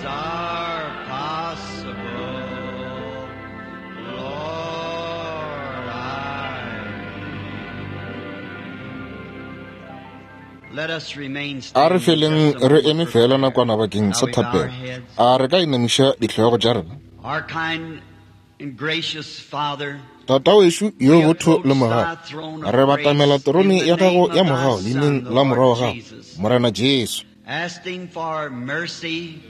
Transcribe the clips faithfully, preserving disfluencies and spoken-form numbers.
are possible. Lord, I believe. Let us remain A re standing feleng just a re moment eme for fela prayer. nakwana bakeng sa Now we bow our thapelo. heads. A re ka inamiša dihlogo tša rena? Our kind and gracious Father, Tata wešo yo we botho approach le thy mogau, throne of re batamela grace in terone the ya gago name ya of thy mogau Son, leineng the la Lord morwa wa gago, Jesus, Morena Jesu. asking for mercy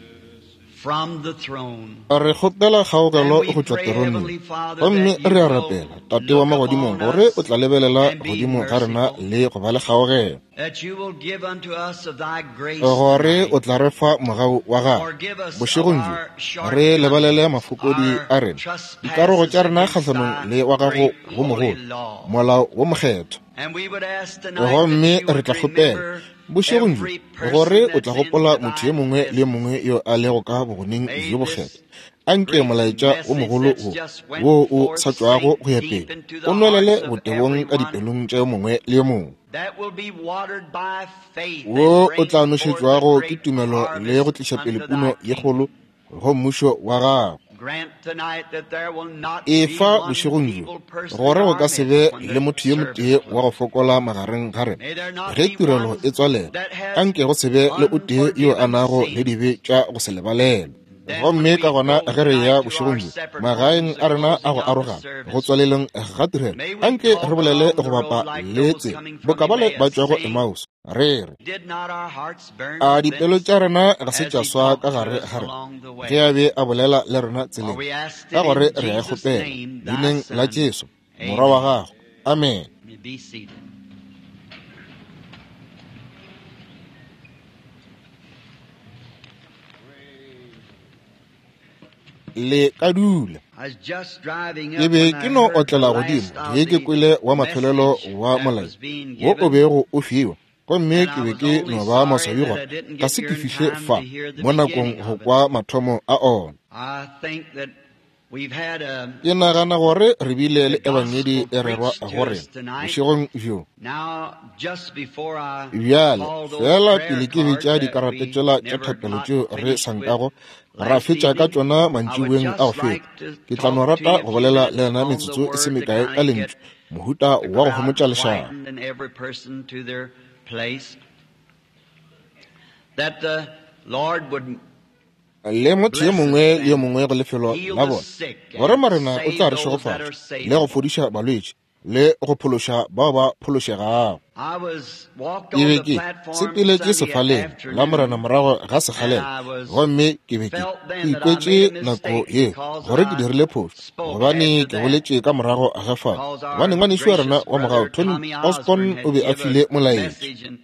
from the throne. Re kgopela And kgaogelo we go tšwa pray, teroneng. Heavenly Father, Gomme that you re a will rapela, Tate wa look magodimong, upon gore o us tla lebelela and be godimo ga rena merciful, le go ba le kgaogelo, that you will give unto us of thy grace gore tonight. o tla re fa mogau wa gago. Forgive us of Bošegong bjo our re lebalele shortcomings, mafokodi our a rena, dikarogo trespasses tša rena against kgahlanong thy le wa gago great wo holy mogolo, law. molao wo mokgethwa. And we would ask tonight that Gomme you re would tla kgopela remember bošegong bjo every gore person o tla that's in gopola motho yo thy mongwe le yo presence. mongwe yo a lego ka bogoneng May bjo this bokgethwa. Anke great molaetša wo message mogolo that's wo just went wo o forth sa tšwago sink go ya deep pele into o the nwelele hearts of botebong ka everyone dipelong tša yo mongwe le yo mongwe, that will be watered by faith and wo o bring tla forth a nošetšwago ke great tumelo le go harvest tliša pele unto puno thy ye kgolo kingdom. go mmušo wa gago. Grant tonight that there will not E be fa one bošegong bjo feeble person in gore go our ka se be midst when le the motho yo service motee wa go closes. fokola magareng ga rena May there not ge be tirelo one e tswalela. that has Anke go se be le o tee yo a unforgiven nago le sins. dibe tša go se lebalelwe. Then when Gomme ka we gona go ge re tonight ya to our bošegong bjo separate magaeng homes a the rena a closing go of the arogana go service, tswaleleng ga tirelo, may we anke re talk bolele along go the road bapa like le those tsela coming from boka bale ba Emmaus, tšwago saying, Emmaus, re re Did not our hearts burn a within dipelo us tša rena ga se as tša he swa ka talked to gare us ga rena along the ge a way? be a bolela le rena For tseleng? we asked Ka it gore in re a e Jesus' kgopela name, thy leineng la Son. Jesu morwa wa Amen. gago. Amen. You may be seated. Le ka dula. I was just driving Ke up be when ke I no heard the otlela last godimo of ge ke the kwele wa mafelelo message wa that molaetša was being wo o given, bego o fiwa, gomme and ke I be was ke only no ba sorry maswabi that gore I didn't ga get se ke here in fihle time fa to hear the mo nakong beginning go of it. kwa mathomo a ona. I think that we've had a Ke nagana gore re bile le the ebangedi gospel e rerwa preached go to us rena tonight. bošegong bjo. Now, just before I Bjale call those fela prayer pele ke cards bitša that dikarata we tšela tša never thapelo got tšeo re finished sa with nkago ra last fetša ka evening, tšona I would mantšiboeng a go just feta, like to ke tla no talk to rata you a go few bolela le minutes lena on the metsotso e se word to mekae kind ka of get lentšu, mohuta the wa go crowd homotša lešaba. quietened and every person to their place, that the Lord would Le motho yo bless us mongwe le yo and mongwe go lefelo heal la the bona, sick gore and Morena o save tla re those that are šegofatša le go savable. fodiša balwetši le go phološa bao ba phološegago. I was walked Ke on be the ke platform sepeletše Sunday sefaleng la Morena afternoon morago ga and sekgalela, I was gomme ke be ke felt ke then that I made ikwetše a nako mistake yeo because gore ke I dirile phošo, spoke gobane after ke that boletše ka morago ga fao. because Gobane our ngwanešu wa rena gracious wa mogau brother Tony Tommy Osborn Osborne o had be a give a file molaetša. message and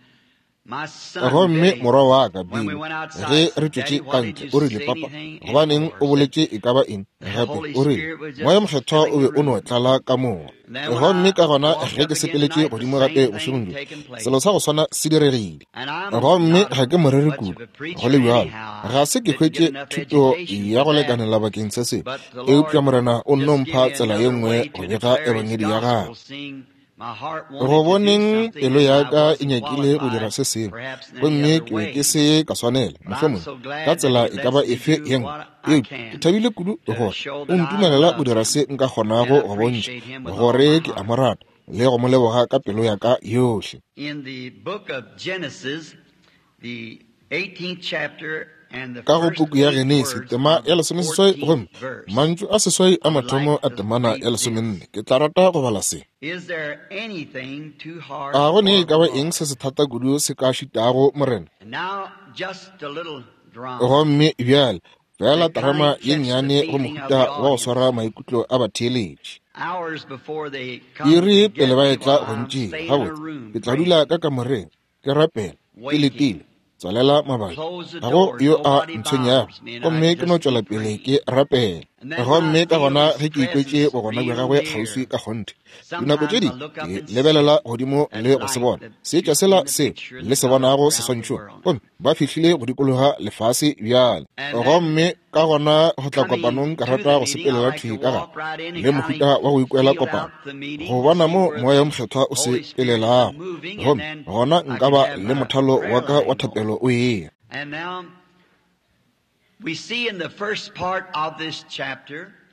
my son Gomme Billy, morwa wa ka when we Billy, went ge outside, re said, tšwetše Daddy, ka why did ntle, you o rile, say Papa, anything gobaneng anymore? o Said boletše e ka ba eng the gape? Holy O rile, Spirit was Moya just Mokgethwa o filling be the o no room. tlala ka mowa. And then when Gomme I ka gona walked ge up ke again sepeletše tonight, the godimo same gape thing bošegong bjo, taking place. selo sa go swana se diregile. And I'm Gomme not ga a, ke moreri much kudu, of a go preacher le bjalo, anyhow. ga I se ke didn't get hwetše enough thuto education ya for go that. lekanela bakeng sa se, But the eupša Lord Morena o nno just give mpha me tsela ye another nngwe way go to bega declare His ebangedi ya gospel, gagwe. seeing my heart Go wanted to do boneng something pelo and ya I ka e wasn't nyakile go dira qualified, se sengwe, perhaps in any gomme other ke be ke way. se ka swanela, But I'm mohlomongwe so ka glad that tsela He e ka ba lets me efe do ye nngwe. what I Eupša ke can thabile kudu to gore show o that I ntumelela go love dira Him se nka and kgonago go bontšha appreciate Him with all gore my ke a heart. mo rata le go mo leboga ka pelo ya ka yohle. In the book of Genesis, the eighteenth chapter and the Ka go first puku ya eight Genesi words tema of ya the lesomeseswai gomme fourteenth verse, mantšu a seswai a I would mathomo like a to temana read ya this. lesomenne ke tla rata go bala se. Is there anything too hard A go ne e for ka the ba eng Lord? se se thata kudu se ka šitago Morena? And now, just a little drama Gomme bjale fela to kind terama of ye catch the nnyane go feeling of mohuta the wa go audience. swara maikutlo a batheeletši. Hours before they come Iri to pele get ba me, etla while go I'm ntšea, staying in a gabotse room ke tla dula praying, ka kamoreng ke rapela ke waiting. letile, tswalela mabaka, Close the ga go doors, yo a nobody ntshwenyago, bothers me, and I gomme ke no just tšwela keep pele praying. ke rapela. And then when I Gomme ka feel gona His ge ke ikwetše presence bogona bja real gagwe kgauswi near, ka kgonthe, dinako tše sometimes I dingwe look up ke and see lebelela godimo that le go se light bona that seetša you see sela in the se picture le se that's out bonago around the seswantšhong, world. gomme ba fihlile go dikologa lefase bjale. And then Gomme ka gona go tla coming kopanong ka to rata the go meeting, I sepelela like to thwi ka gare walk right in and le kind mohuta of wa go ikwela feel kopano, out the meeting go to bona see mo where moya the wo mokgethwa o Holy Spirit is sepelelago, moving, and gomme then gona I nka can ba have le my mothalo prayer wa ka wa line going. thapelo o eya. And now,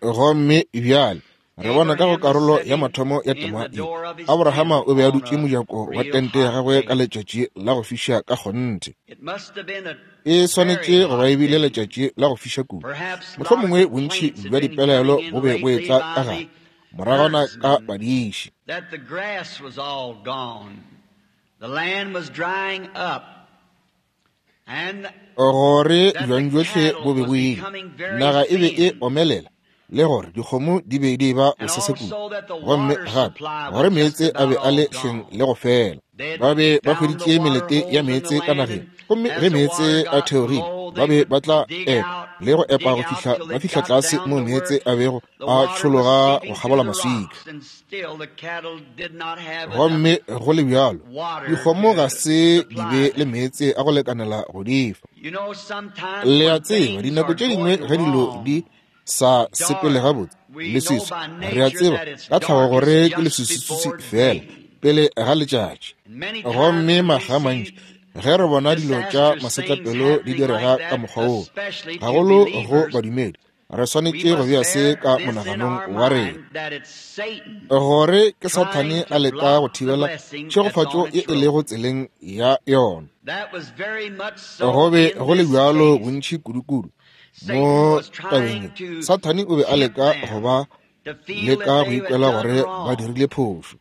Gomme bjale re bona ka go karolo ya mathomo ya tema ye, Abrahama o be a dutše mojako wa tente ya gagwe ka letšatši la go fiša ka kgonthe. E swanetše go ba e bile letšatši la go fiša kudu. Mohlomongwe bontši bja dipelaelo bo be bo etla ka gare, moragwana ka badiši. Gore bjang bjohle bo be bo ile, naga e be e omelela, le gore dikgomo di be di ba bosese kudu, gomme gape gore meetse a be a le hleng le go fela. Ba be ba hweditše melete ya meetse ka nageng, gomme ge meetse a theogile ba be ba tla epa le go epa go fihla ba fihla tlase mo meetse a bego a tšhologa go kgabola maswika. Gomme go le bjalo dikgomo ga se di be le meetse a go lekanela go di fa. Le a tseba, dinako tše dingwe ge dilo di sa sepele gabotse, leswiswi, re a tseba ka tlhago gore ke leswiswi fela pele ga letšatši. Gomme makga a mantši ge re bona dilo tša masetlapelo di direga ka mokgwa woo, gagolo go badumedi, re swanetše go bea se ka monaganong wa rena, gore ke Sathane a leka go thibela tšhegofatšo ye e lego tseleng ya yona. Go be go le bjalo bontši kudu-kudu mo tabeng ye. Sathane o be a leka go ba leka go ikwela gore ba dirile phošo,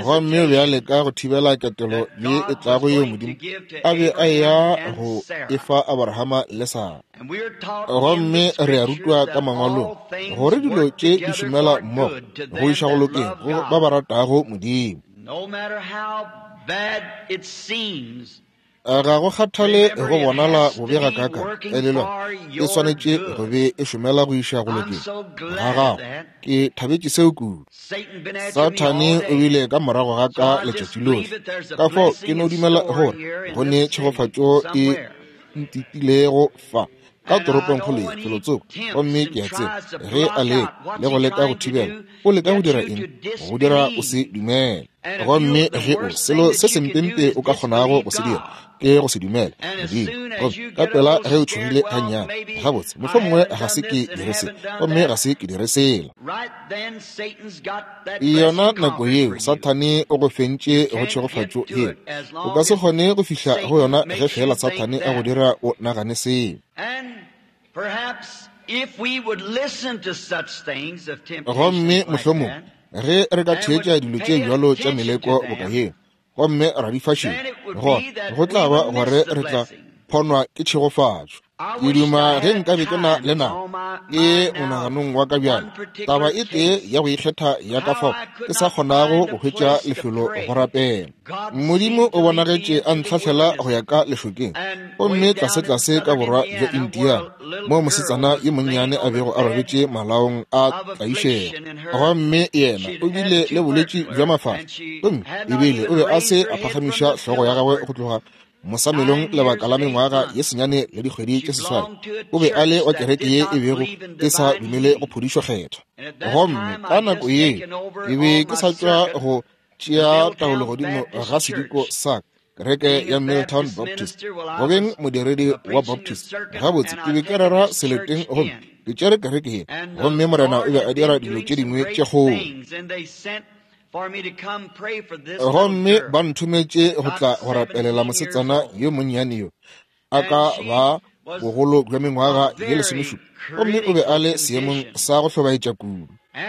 gomme o be a leka go thibela ketelo ye e tlago yeo Modimo a be a eya go e fa Abrahama le Sara. Gomme re a rutwa ka mangwalong gore dilo tše di šomela mmogo go iša go lokeng go ba ba ratago Modimo. Ga go kgathale go bonala bobe ga kaka, elelwa e swanetše go be e šomela go iša go lokeng ga gago. Ke thabetše seo kudu. Sathane o bile ka morago ga ka letšatši lohle, ka fao ke no dumela gore go ne tšhegofatšo e ntitilego fa ka toropongkgolo ye felotsoko. Gomme ke a tseba ge a leka le go leka go thibela, o leka go dira eng? Go dira o se dumele. Gomme ge o selo se sempempe o ka kgonago go se dira ke go se dumele Modimo. Gomme ka pela ge o tšhogile gannyane, gabotse mohlomongwe ga se ke dire se, gomme ga se ke dire sela, yona nako yeo Sathane o go fentše go tšhegofatšo yeo. O ka se kgone go fihla go yona ge fela Sathane a go dira o nagane seo. Gomme mohlomongwe ge re ka theetša dilo tše bjalo tša meleko boka yeo, gomme ra di fa šedi, gona go tla ba gore re tla phonwa ke tšhegofatšo. Ke duma ge nkabe ke na le nako ke monaganong wa ka bjale, taba e tee ya go ikgetha ya ka fao ke sa kgonago go hwetša lefelo go rapela. Modimo o bonagetše a ntlhahlela go ya ka lešokeng, gomme tlase-tlase ka borwa bja Indiana, mo mosetsana yo monnyane a bego a robetše malaong a tlaišego. Gomme yena o bile le bolwetši bja mafahla, gomme ebile o be a se a phagamiša hlogo ya gagwe go tloga mosamelong lebaka la mengwaga ye senyane le dikgwedi tše seswai. O be a le wa kereke ye e bego e sa dumele go phodišo kgethwa. Gomme ka nako yeo ke be ke sa tšwa go tšea taolo godimo ga sediko sa kereke ya Milltown Baptist, go beng modiredi wa Baptist. Gabotse ke be ke rera seleteng gomme ke tšere kereke ye, gomme Morena o be a dira dilo tše dingwe tše kgolo. Gomme ba nthometše go tla go rapelela mosetsana yo monnyane yo a ka ba bogolo bja mengwaga ye lesomešupa, gomme o be a le seemong sa go hlobaetša kudu.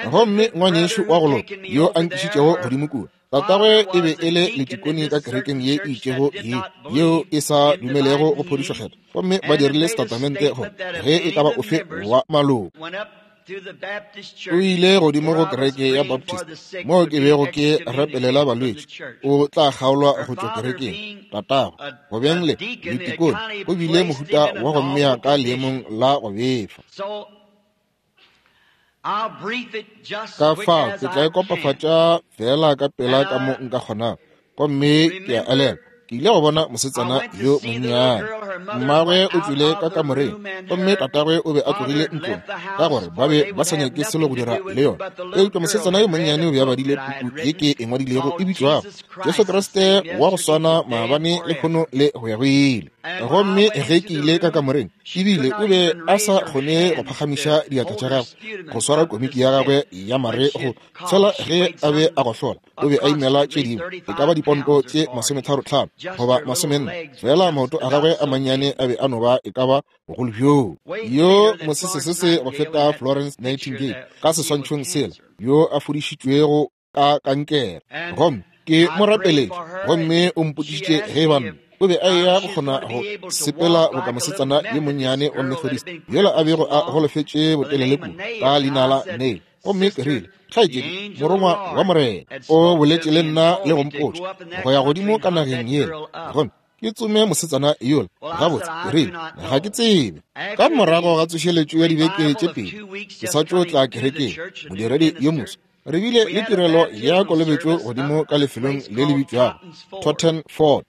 Gomme ngwanešu wa go loka yo a nkišitšego godimo kua, tatagwe e be e le letikone ka kerekeng ye e itšego ye yeo e sa dumelego go phodišo kgethwa, gomme ba dirile setatamente gore ge e ka ba ofe wa maloko o ile godimo go kereke ya Baptist moo ke bego ke rapelela balwetši, o tla kgaolwa go tšwa kerekeng. Tatagwe go beng le letikone o bile mohuta wa go mmea ka leemong la go befa. Ka fao ke tla e kopafatša fela ka pela ka mo nka kgonago. Gomme ke a elelwa ke ile go bona mosetsana yo monnyane. Mmagwe o tšwile ka kamoreng, gomme tatagwe o be a tlogile ntlong ka gore ba be ba sa nyake selo go dira le yona. Eupša mosetsana yo monnyane o be a badile puku ye ke e ngwadilego e bitšwago Jesu Kriste wa go swana maabane, lehono le go ya go ile. Gomme ge ke ile ka kamoreng, ebile o be a sa kgone go phagamiša diatla tša gagwe go swara komiki ya gagwe ya mare go tshwela ge a be a gohlola. O be a imela tše dingwe e ka ba diponto tše masometharo tlhano goba masomenne, fela maoto a gagwe a mannyane a be a no ba e ka ba bogolo bjoo. Yo mosesesese go feta Florence Nightingale ka seswantšhong sela, yo a fodišitšwego ka kankere. Gomme ke mo rapeletše, gomme o mpotšišitše ge e ba nna o be a eya go kgona go sepela boka mosetsana yo monnyane wa Methodist yola a bego a golofetše botelele kudu ka leina la Neil. Gomme ke rile, kgaetšedi, morongwa wa Morena o boletše le nna le go mpotša go ya godimo ka nageng yela, gomme ke tsome mosetsana yola. Gabotse, ke rile, ga ke tsebe. Ka morago ga tsošeletšo ya dibeke tše pedi, ke sa tšo tla kerekeng, modiredi yo moswa, re bile le tirelo ya kolobetšo godimo ka lefelong le le bitšwago Totten Ford.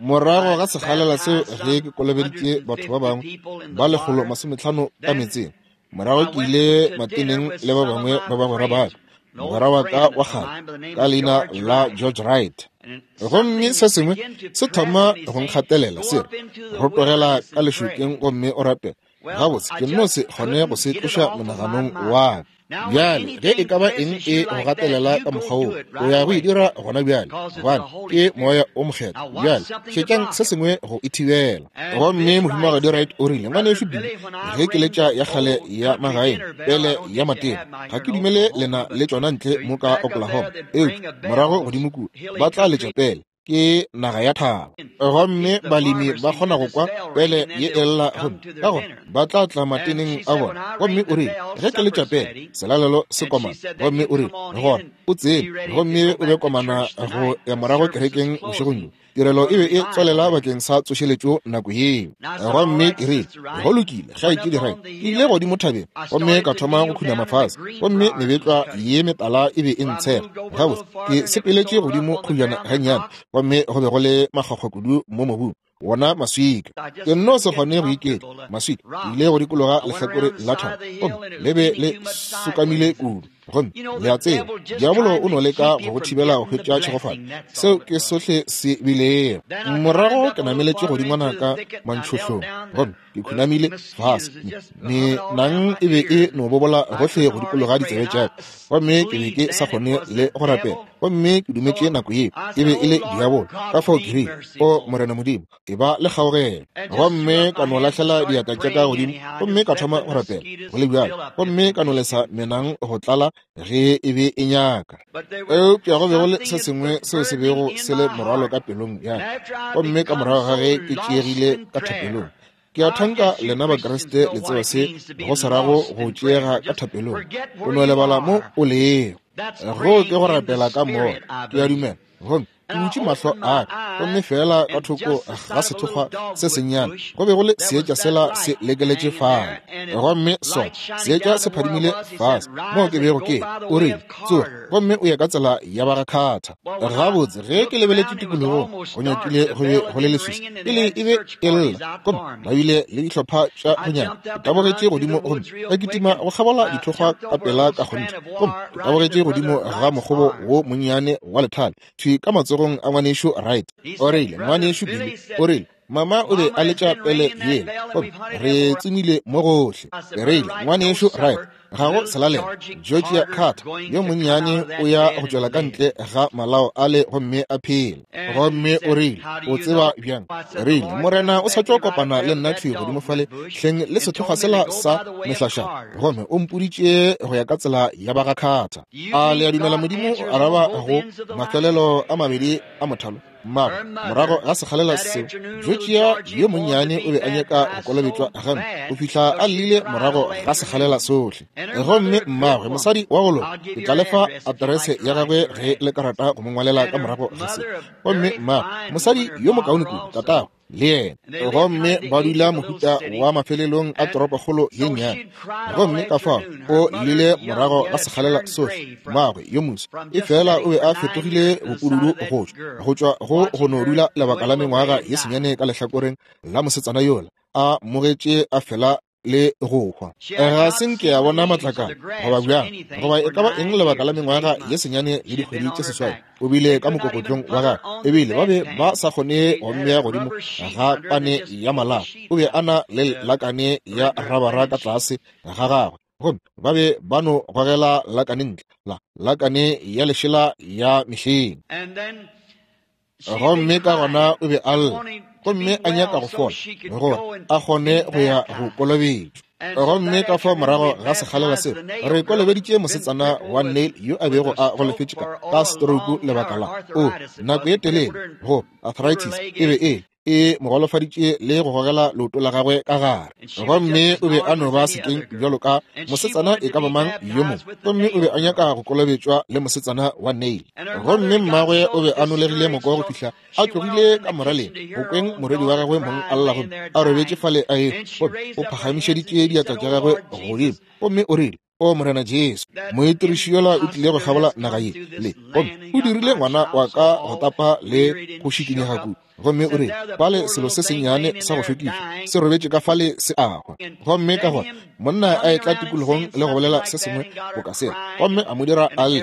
Morago ga sekgalela seo ge ke kolobeditše batho ba bangwe ba lekgolo masometlhano ka metseng, morago ke ile mateneng le ba bangwe ba bagwera ba ka, mogwera wa ka wa kgale ka leina la George Wright. Gomme se sengwe se thoma go nkgatelela se re, rotogela ka lešokeng gomme o rapele. Gabotse, ke nno se kgone go se tloša monaganong wa ka. Bjale ge e ka ba eng e go gatelela ka mokgwa woo, o ya go e dira gona bjale, gobane ke moya o mokgethwa. Bjale šetšang se sengwe go e thibela. Gomme mohumagadi Wright o rile, ngwanešu Billy, ge ke letša ya kgale ya magaeng pele ya matena, ga ke dumele lena le tšona ntle mo ka Oklahoma, eupša morago godimo kua ba tla letša pele, ke naga ya thaba. Gomme balemi ba kgona go kwa pele ye e lla, gomme ka gona ba tla tla mateneng a bona. Gomme o rile, ge ke letša pele selalelo se komana, gomme o rile, gona o tsene gomme o be komana go ya morago kerekeng bošegong bjo. Tirelo e be e tswalela bakeng sa tsošeletšo nako yeo. Gomme ke rile, go lokile, kgaetšedi Wright. Ke ile godimo thabeng gomme ka thoma go khunama fase, gomme mebetlwa ye metala e be e ntshega. Gabotse, ke sepeletše godimo kgojana gannyane, gomme go be go le makgwakgwa kudu mo mobung, wona maswika. Ke nno se kgone go iketla maswika. Ke ile go dikologa lehlakore la thaba, gomme le be le sokamile kudu. Gomme le a tseba, diabolo o no leka go go thibela go hwetša tšhegofatšo. Seo ke sohle se bilego. Morago ke nameletše godingwana ka mantšhohlong, gomme ke khunamile fase. Menang e be e no bobola gohle go dikologa ditsebe tša ka, gomme ke be ke sa kgone le go rapela. Gomme ke dumetše nako yeo e be e le diabolo. Ka fao ke rile, o Morena Modimo, e ba le kgaogelo. Gomme ka no lahlela diatla tša ka godimo, gomme ka thoma go rapela go le bjalo, gomme ka no lesa menang go tlala ge e be e nyaka. Eupša go be go le se sengwe seo se bego se le morwalo ka pelong ya ka. Gomme ka morago ga ge ke tšeegile ka thapelong, ke a thanka lena Bakriste le tseba se go se rago go tšeega ka thapelong. O no lebala mo o lego. Go ke go rapela ka moya, ke a dumela. Gomme ke butše mahlo a ka, gomme fela ka thoko ga sethokgwa se sennyane go be go le seetša sela se lekeletše fale. Gomme sona seetša se phadimile fase moo ke bego ke. O rile, tsoga gomme o ye ka tsela ya ba ga Carter. Gabotse, ge ke lebeletše tikologong, go nyakile go be go le leswiswi, pele e be e lla, gomme ba bile le dihlopha tša go nyaka. Ke tabogetše godimo gomme ka kitima go kgabola dithokgwa ka pela ka kgonthe, gomme ke tabogetše godimo ga mokgobo wo monnyane wa lethale thwi ka matsogong a ngwanešu Wright. O rile, ngwanešu Billy, o rile, mama o be a letša pele yela, gomme re tsomile mo gohle. Ke rile, ngwanešu Wright, ga go selalelo. Georgia Carter yo monnyane o ya go tšwela ka ntle ga malao ale gomme a phela. Gomme o rile, o tseba bjang? Rile, Morena o sa tšo kopana le nna thwi godimo fale hleng le sethokgwa sela sa mehlašana, gomme o mpoditše go ya ka tsela ya ba ga Carter. A le a dumela Modimo o araba go mafelelo a mabedi a mothalo? Mmago, morago ga sekgalela seo, Georgia yo monnyane o be a nyaka go kolobetšwa gampe go fihla a llile morago ga sekgalela sohle. Gomme mmagwe, mosadi wa go loka, ke tla le fa aterese ya gagwe ge le ka rata go mo ngwalela ka morago ga se. Gomme mmagwe, mosadi yo mokaone kudu, tatagwe le yena, gomme ba dula mohuta wa mafelelong a toropokgolo ye nnyane. Gomme ka fao o llile morago ga sekgalela sohle. Mmagwe yo moso e fela o be a fetogile bopududu go tšwa go tšwa go go no dula lebaka la mengwaga ye senyane ka lehlakoreng la mosetsana yola, a mmogetše a fela le go hwa. Ga se nke a bona matlakala goba bjang goba e ka ba eng lebaka la mengwaga ye senyane le dikgwedi tše seswai. O bile ka mokokotlong wa gagwe, ebile ba be ba sa kgone go mmea godimo ga pane ya malao. O be a na le lakane ya rabara ka tlase ga gagwe, gomme ba be ba no gogela lakane ntle, la lakane ya lešela ya mehleng. Gomme ka gona o be a lla, gomme a nyaka go fola gore a kgone go ya go kolobetšwa. Gomme ka fao morago ga sekgalela seo, re kolobeditše mosetsana wa Neil yo a bego a golofetše ka ka stroke lebaka la o nako ye telele, go arthritis e be e e mo golofaditše le go gogela leoto la gagwe ka gare. Gomme o be a no ba sekeng bjalo ka mosetsana e ka ba mang yo mongwe, gomme o be a nyaka go kolobetšwa le mosetsana wa Neil. Gomme mmagwe o be a nolegile moko go fihla a tlogile ka moraleng go kweng morwedi wa gagwe mong a lla, gomme a robetše fale a e, gomme o phagamišeditše diatla tša gagwe godimo, gomme o rile, O Morena Jesu, moitiriši yola o tlile go kgabola naga ye le, gomme o dirile ngwana wa ka go tapa le go šikinyega kudu. Gomme o rile, fale selo se sennyane sa go šokiša se robetše ka fale se a hwa. Gomme ka gona monna a etla tikologong le go bolela se sengwe boka sela, gomme a mo dira a lle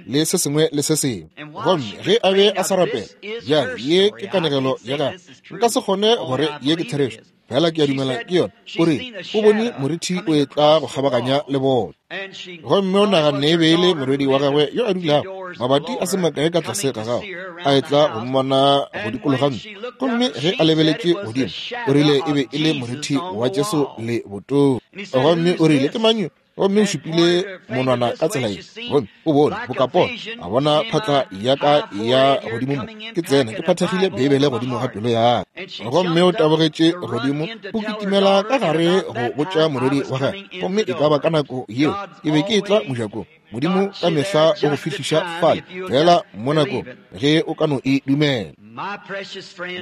le se sengwe le se sengwe. Gomme ge a be a sa rapela, bjale ye ke kanegelo ya gagwe, nka se kgone gore ye ke therešo, fela ke a dumela ke yona. O rile o bone morithi o etla go kgabaganya le bona, gomme o naganne e be e le morwedi wa gagwe yo a dulago mabati a se makae ka tlase ga gagwe, a etla go mmona go dikologa ntlo. Gomme ge a lebeletše godimo, o rile e be e le morithi wa Jesu le botong. Gomme o rile, ke mang yo? Gomme o šupile monwana ka tsela ye, gomme o bone bokapono, a bona phatla ya ka ya godimo mo ke tsena ke phathegile Beibele godimo ga pelo ya ka. Gomme o tabogetše godimo, o kitimela ka gare go botša morwedi wa gagwe. Gomme e ka ba ka nako yeo ke be ke etla mojakong. Modimo ka mehla o go fihliša fale fela mo nakong ge o ka no e dumela.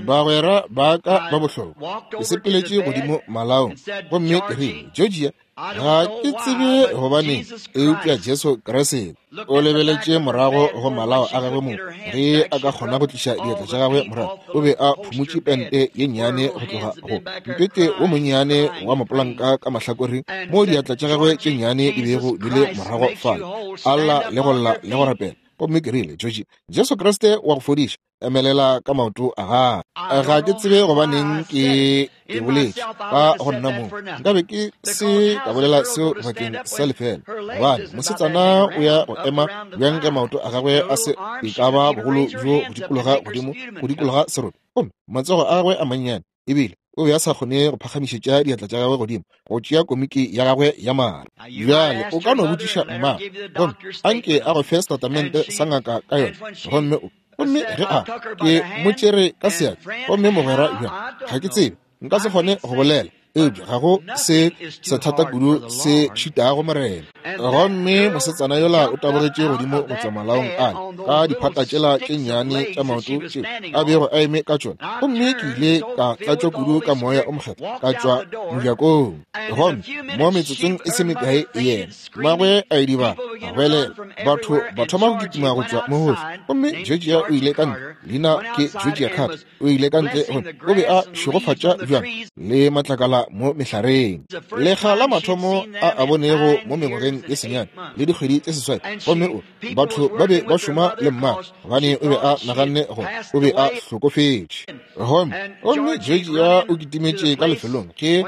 Bagwera ba ka ba bohlokwa, ke sepeletše godimo malaong, gomme ke rile, Georgia, ga ke tsebe gobaneng, eupša Jesu Kriste. O lebeletše morago go malao a gagwe mo ge a ka kgona go tliša diatla tša gagwe morago. O be a phumotše pente ye nnyane go tloga go mpete wo monnyane wa mapolanka ka mahlakoreng mo diatla tša gagwe tše nnyane di bego di le morago fale, a lla le go lla le go rapela. Gomme ke rile, Georgie, Jesu Kriste wa go fodiša, emelela ka maoto a gagwe. Ga ke tsebe gobaneng ke e boletše ka go nna moo, nkabe ke se ka bolela seo bakeng sa lefela, gobane mosetsana o ya go ema bjang ge maoto a gagwe a se e ka ba bogolo bjo go dikologa godimo go dikologa seroto, gomme matsogo a gagwe a mannyane, ebile o be a sa kgone go phagamišetša diatla tša gagwe godimo go tšea komiki ya gagwe ya mare. Bjale o ka no botšiša mma, gomme anke a go fe setatamente sa ngaka ka yona. Gomme o gomme ge a ke mo tšere ka seatla, gomme mogwera bjang, ga ke tsebe, nka se kgone go bolela, eupša ga go se sethata kudu se šitago Morena. Gomme mosetsana yola o tabogetše godimo go tšwa malaong ale ka diphata tšela tše nnyane tša maoto tšeo a bego a eme ka tšona, gomme ke ile ka tlatšwa kudu ka moya o mokgethwa ka tšwa mojakong. Gomme mo metsotsong e se mekae yena mmagwe a idibala, a goelela, batho ba thoma go kitima go tšwa mo gohle. Gomme Georgia o ile ka ntle, leina ke Georgia Carter, o ile ka ntle gomme o be a šegofatša bjang le matlakala mo mehlareng. Lekga la mathomo a a bonego mo mengwageng ye senyane le dikgwedi tše seswai, gomme o batho ba be ba šoma le mmagwe gobane o be a naganne gore o be a hlokofetše. Gomme gomme Georgia o kitimetše ka lefelong ge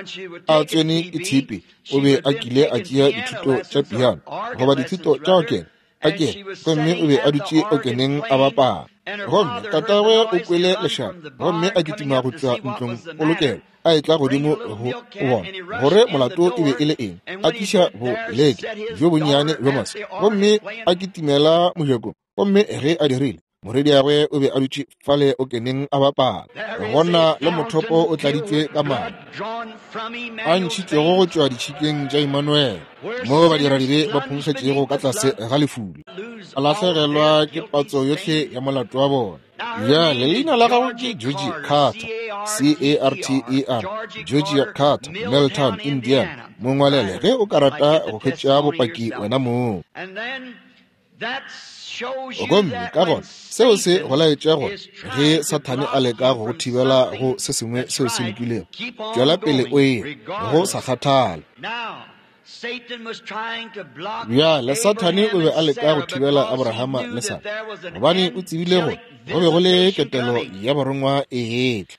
a tsene ke tshipi, o be a kile a tšea dithuto tša piano goba dithuto tša okene a kene, gomme o be a dutše okeneng a bapala. Gomme tatagwe o kwele lešata, gomme a kitima go tšwa ntlong polokelo, a etla godimo go bona gore molato e be e le eng. A tliša boleke bjo bonnyane bjo maswe, gomme a kitimela mojakong. Gomme ge a dirile, morwediagwe o be a dutše fale okeneng a bapala. Gona le mothopo o tladitšwe ka madi a ntšhitšwego go tšwa ditšhikeng tša Emmanuel, mo badiradibe ba phonkgetšego ka tlase ga lefula, a lahlegelwa ke patso yohle ya molato wa bona. Bjale leina la gagwe ke Georgie Carter, C A R T E R, Georgia Carter, Milltown, Indiana. Mongwalele ge o ka rata go hwetša bopaki wena mong. Gomme ka gona seo se go laetša gore ge Sathane a leka go go thibela go se sengwe seo se lokilego, tšwela pele o ye, go sa kgathale. Bjale Sathane o be a leka go thibela Abrahama le Sara, gobane o tsebile gore go be go le ketelo ya barongwa e etla.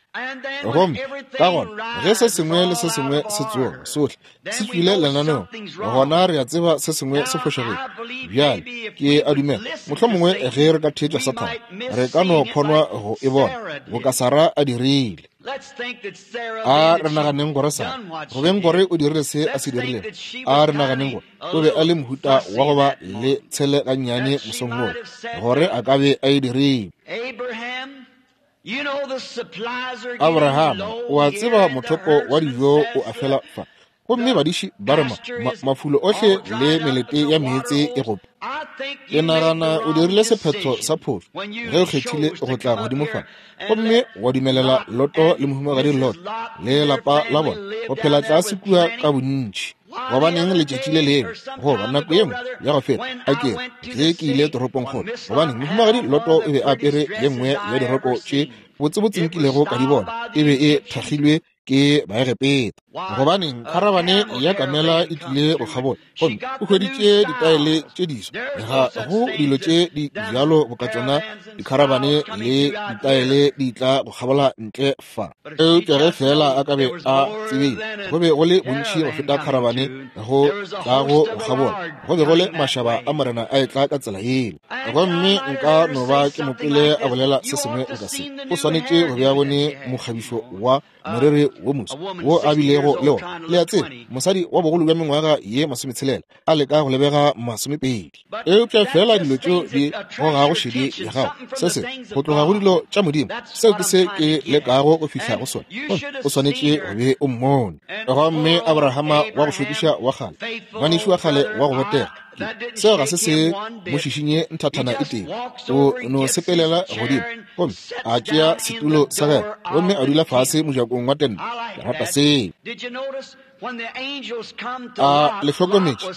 Gomme ka gona ge se sengwe le se sengwe se tsoga sohle se tšwile lenaneong, gona re a tseba se sengwe se fošagetše. Bjale ke a dumela mohlomongwe ge re ka theetša Sathane re ka no phonwa go e bona boka Sara a dirile. A re naganeng gore Sara go beng gore o dirile se a se dirilego, a re naganeng gore o be a le mohuta wa go ba le tshele gannyane mosong woo, gore a ka be a e dirile. Abraham, o a tseba mothopo wa dijo o a fela fa, gomme badiši ba re ma, ma, mafulo ohle le melete ya meetse e gope. Ke nagana o dirile sephetho sa phošo ge o kgethile go tla godimo fa, gomme wa dumelela Loto le mohumagadi Lot le lapa la bona go phela tlase kua ka bontši. Gobaneng letšatši le lengwe goba nako ye nngwe ya go feta a ke ge ke ile toropongkgolo, gobaneng mohumagadi Loto o be a apere ye nngwe ya diroko tše botsebotse nkilego ka di bona, e be e thakgilwe ke Baegepeta. Gobaneng kharabane ya kamela e tlile go kgabola, gomme o hweditše ditaele tše diswa. Ga go dilo tše di bjalo boka tšona dikharabane le ditaele di tla go kgabola ntle fa. Eupša ge fela a ka be a tsebile, go be go le bontši go feta kharabane go tla go go kgabola, go be go le mašaba a morena a etla ka tsela yeo. Gomme nka no ba ke mo kwele a bolela se sengwe nka se, o swanetše go be a bone mokgabišo wa moriri wo moso wo a bilego le wona. Le a tseba, mosadi wa bogolo bja mengwaga ye masometshelela a leka go lebega masomepedi. Eupša fela dilo tšeo di gogago šedi ya gago, se se go tloga go dilo tša Modimo, seo ke se ke lekago go fihla go sona. O swanetše go be o mmone. Gomme Abrahama wa go šokiša wa kgale, ngwanešu wa kgale wa go botega, seo ga se se mo šišinye nthathana e tee. O no sepelela godimo gomme a tšea setulo sa gagwe gomme a dula fase mojakong wa tente. Ke rata seo. A le hlokometše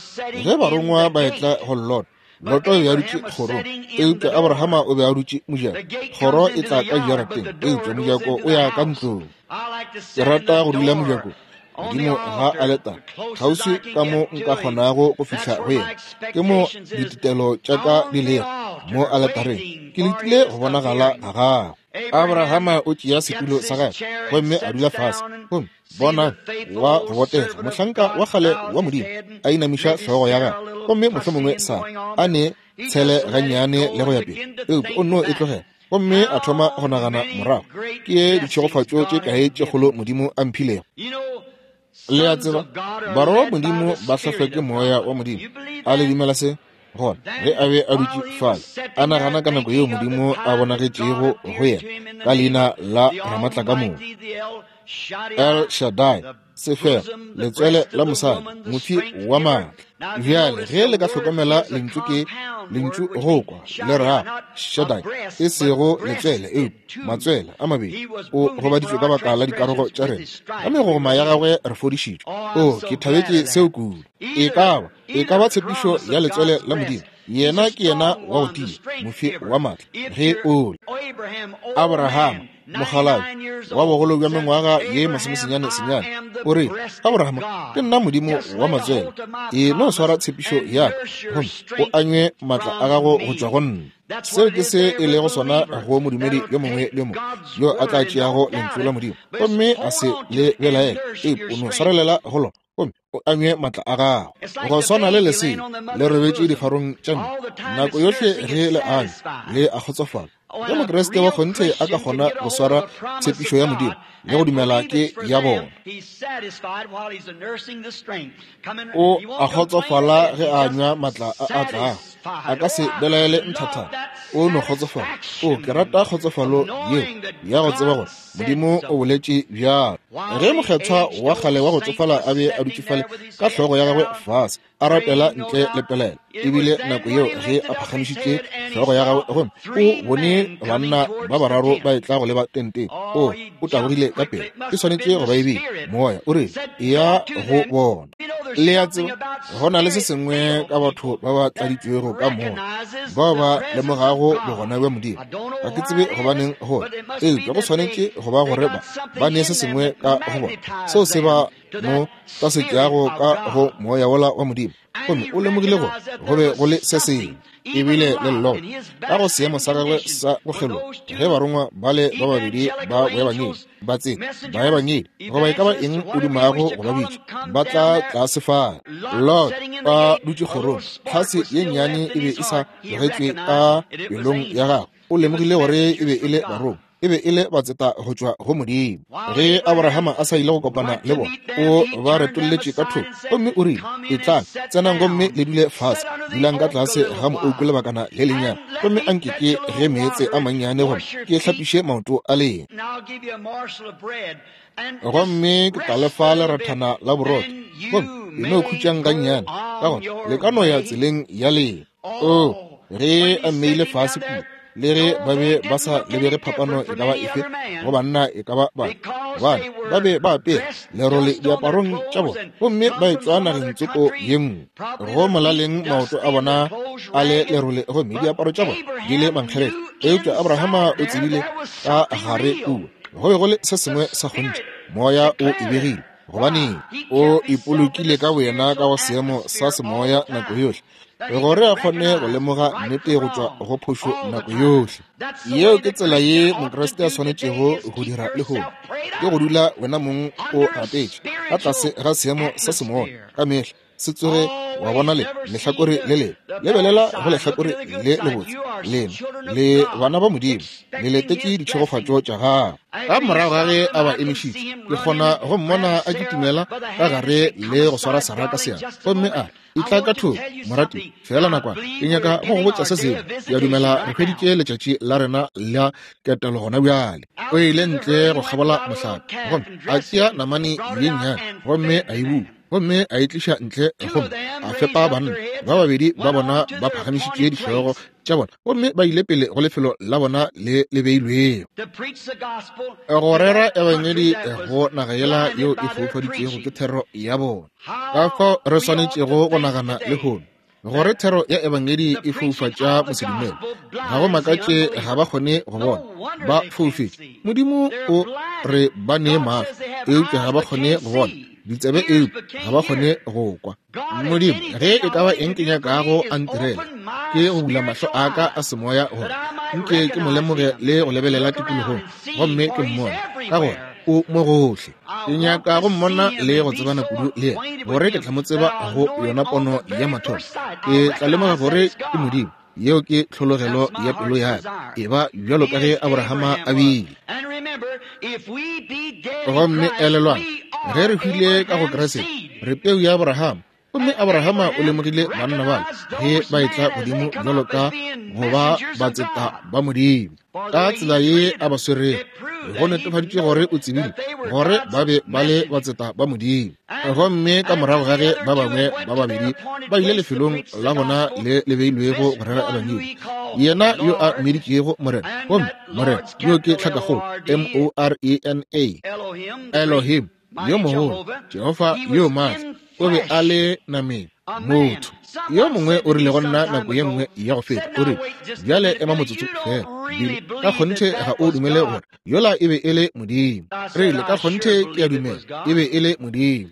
ge barongwa ba etla go Lot, Loto o be a dutše kgorong, eupša Abrahama o be a dutše mojako. Kgoro e tla ka jarateng, eupša mojako o ya ka ntlong. Ke rata go dula mojakong godimo ga aletare, kgauswi ka mo nka kgonago go fihla go yena. Ke mo ditetelo tša ka di lego mo aletareng, ke letile go bonagala ga gagwe. Abrahama o tšea setulo sa gagwe gomme a dula fase, gomme bona wa go botega mohlanka wa kgale wa Modimo a inamiša hlogo ya gagwe, gomme mohlomongwe Sara a ne tshele gannyane le go ya pele, eupša o nno e tlogela. Gomme a thoma go nagana morago, ke ditšhegofatšo tše kae tše kgolo Modimo a mphilego. Le a tseba, barwa ba Modimo ba hlahlwa ke moya wa Modimo. A le dumela se? Gona ge a be a dutše fale a nagana ka nako yeo Modimo a bonagetšego go yena ka leina la Ramatlakamoka, El Shaddai, sefela letswele la mosadi, mofi wa maatla. Bjale ge le ka hlokomela lentšu ke lentšu go kwa le ra Shaddai, e sego letswele eupša matswele a mabedi. O gobaditšwe ka baka la dikarogo tša rena, ka megogoma ya gagwe re fodišitšwe. O ke thabetše seo kudu. E ka ba e ka ba tshepišo ya letswele la Modimo. Yena ke yena wa go tia, mofi wa maatla. Ge o le Abrahama mokgalabje wa bogolo bja mengwaga ye masomesenyane senyane, o re, Abrahama, ke nna Modimo wa matswele, e no swara tshepišo ya ka gomme o anywe maatla a gago go tšwa go nna. Seo ke se e lego sona go modumedi yo mongwe le yo mongwe yo a tla tšeago lentšu la Modimo gomme a se le belaele, eupša o no swarelela go lona gomme o anywe maatla a gago. Go swana le lesea le robetše difarong tša mme, nako yohle ge le anywa le a kgotsofala. Ge Mokriste wa kgonthe a ka kgona go swara tshepišo ya Modimo le go dumela ke ya bona, o a kgotsofala ge a anywa maatla a a tlago. A ka se belaele nthathana, o no kgotsofala. O ke rata kgotsofalo yeo ya go tseba gore Modimo o boletše bjalo. Ge mokgethwa wa kgale wa go tsofala a be a dutše fale ka hlogo ya gagwe fase a rapela ntle le pelaelo, ebile nako yeo ge a phagamišitše hlogo ya gagwe gomme o bone banna ba bararo ba etla go leba tenteng, o o tabogile ka pele. E swanetše go ba ebile moya o rile, eya go bona. Le a tseba, go na le se sengwe ka batho ba ba tladitšwego ka moya, bao ba lemogago bogona bja Modimo. Ga ke tsebe gobaneng gore, eupša go swanetše go ba gore ba ba ne se sengwe ka go bona seo se ba mo tasetšago ka go moya wola wa Modimo. Gomme o lemogile gore go be go le se sengwe, ebile le Lot ka go seemo sa gagwe sa go kgeloga, ge barongwa bale ba babedi ba boebangedi ba tsena, baebangedi goba e ka ba eng o dumago go ba bitša, ba tla tlase fale. Lot a dutše kgorong, tlhase ye nnyane e be e sa tlogetšwe ka pelong ya gagwe. O lemogile gore e be e le barongwa, e be e le batseta go tšwa go Modimo. Ge Abrahama a sa ile go kopana le bona, o ba retolletše ka thoko gomme o rile, etlang, tsenang gomme le dule fase, dulang ka tlase ga moouku lebakana le lennyane, gomme anke ke ge meetse a mannyane gore ke hlapiše maoto a lena, gomme ke tla le fa lerathana la borotho, gomme le no khutšang gannyane, ka gona le ka no ya tseleng ya lena. O ge a mmeile fase kua, le ge ba be ba sa lebege phapano e ka ba efe go banna e ka ba bana, gobane ba be ba apere lerole diaparong tša bona gomme ba etšwa nageng tsoko ye nngwe. Go molaleng maoto a bona a le lerole gomme diaparo tša bona di le mankgeretla. Eupša Abrahama o tsebile ka gare kua go be go le se sengwe sa kgonthe, moya o e begile, gobane o ipolokile ka boyena ka go seemo sa semoya nako yohle, gore a kgone go lemoga nnete go tšwa go phošo nako yohle. Yeo ke tsela ye Mokriste a swanetšego go dira lehono, ke go dula wena mong o rapetše ka tlase ga seemo sa semoya ka mehla. Se tsoge wa bona le lehlakore le lebe, lebelela go lehlakore le lebotse. Lena le bana ba Modimo, le letetše ditšhegofatšo tša gagwe. Ka morago ga ge a ba emišitše, ke kgona go mmona a kitimela ka gare le go swara Sara ka seatla gomme a re, etla ka thoko morati, fela nakwana, ke nyaka go go botša se sengwe. Ke a dumela re hweditše letšatši la rena la ketelo gona bjale. O ile ntle go kgabola mohlape gomme a tšea namane ye nnyane gomme a e bua, gomme a e tliša ntle gomme a fepa banna ba babedi ba bona ba phagamišitše dihlogo tša bona gomme ba ile pele go lefelo la bona le le beilwego go rera ebangedi go naga yela yeo e foufaditšwego ke thero ya bona. Ka fao re swanetšego go nagana lehono gore thero ya ebangedi e foufatša mosedumele. Ga go makatše ga ba kgone go bona, ba foufetše. Modimo o re ba nee mahlo, eupša ga ba kgone go bona, ditsebe eupša ga ba kgone go kwa. Modimo, ge e ka ba eng ke nyakago a ntirela, ke go bula mahlo a ka a semoya gore nke ke mo lemoge le go lebelela tikologong gomme ke mmone, ka gore o mo gohle. Ke nyaka go mmona le go tsebana kudu le yena, gore ke tla mo tseba go yona pono ya mathomo. Ke tla lemoga gore ke Modimo. Yeo ke tlhologelo ya pelo ya ka, e ba bjalo ka ge Abrahama a bile. Gomme elelwang, ge re hwile ka go Kriste, re peu ya Abrahama. Gomme Abrahama o lemogile banna bale ge ba etla godimo bjalo ka go ba batseta ba Modimo. Ka tsela ye a ba swerego, go netefaditše gore o tsebile gore ba be ba le batseta ba Modimo. Gomme ka morago ga ge ba bangwe ba babedi ba ile lefelong la bona le le beilwego go rera ebangedi, yena yo a mmiditšego Morena, gomme Morena yo ke tlhakakgolo M O R E N A, Elohim yo mogolo, Jehofa yo maatla, o be a le nameng motho. Yo mongwe o rile go nna nako ye nngwe ya go feta, o rile, bjale ema motsotso fela, Billy, ka kgonthe ga o dumele gore yola e be e le Modimo. Rile, ka kgonthe ke a dumela e be e le Modimo.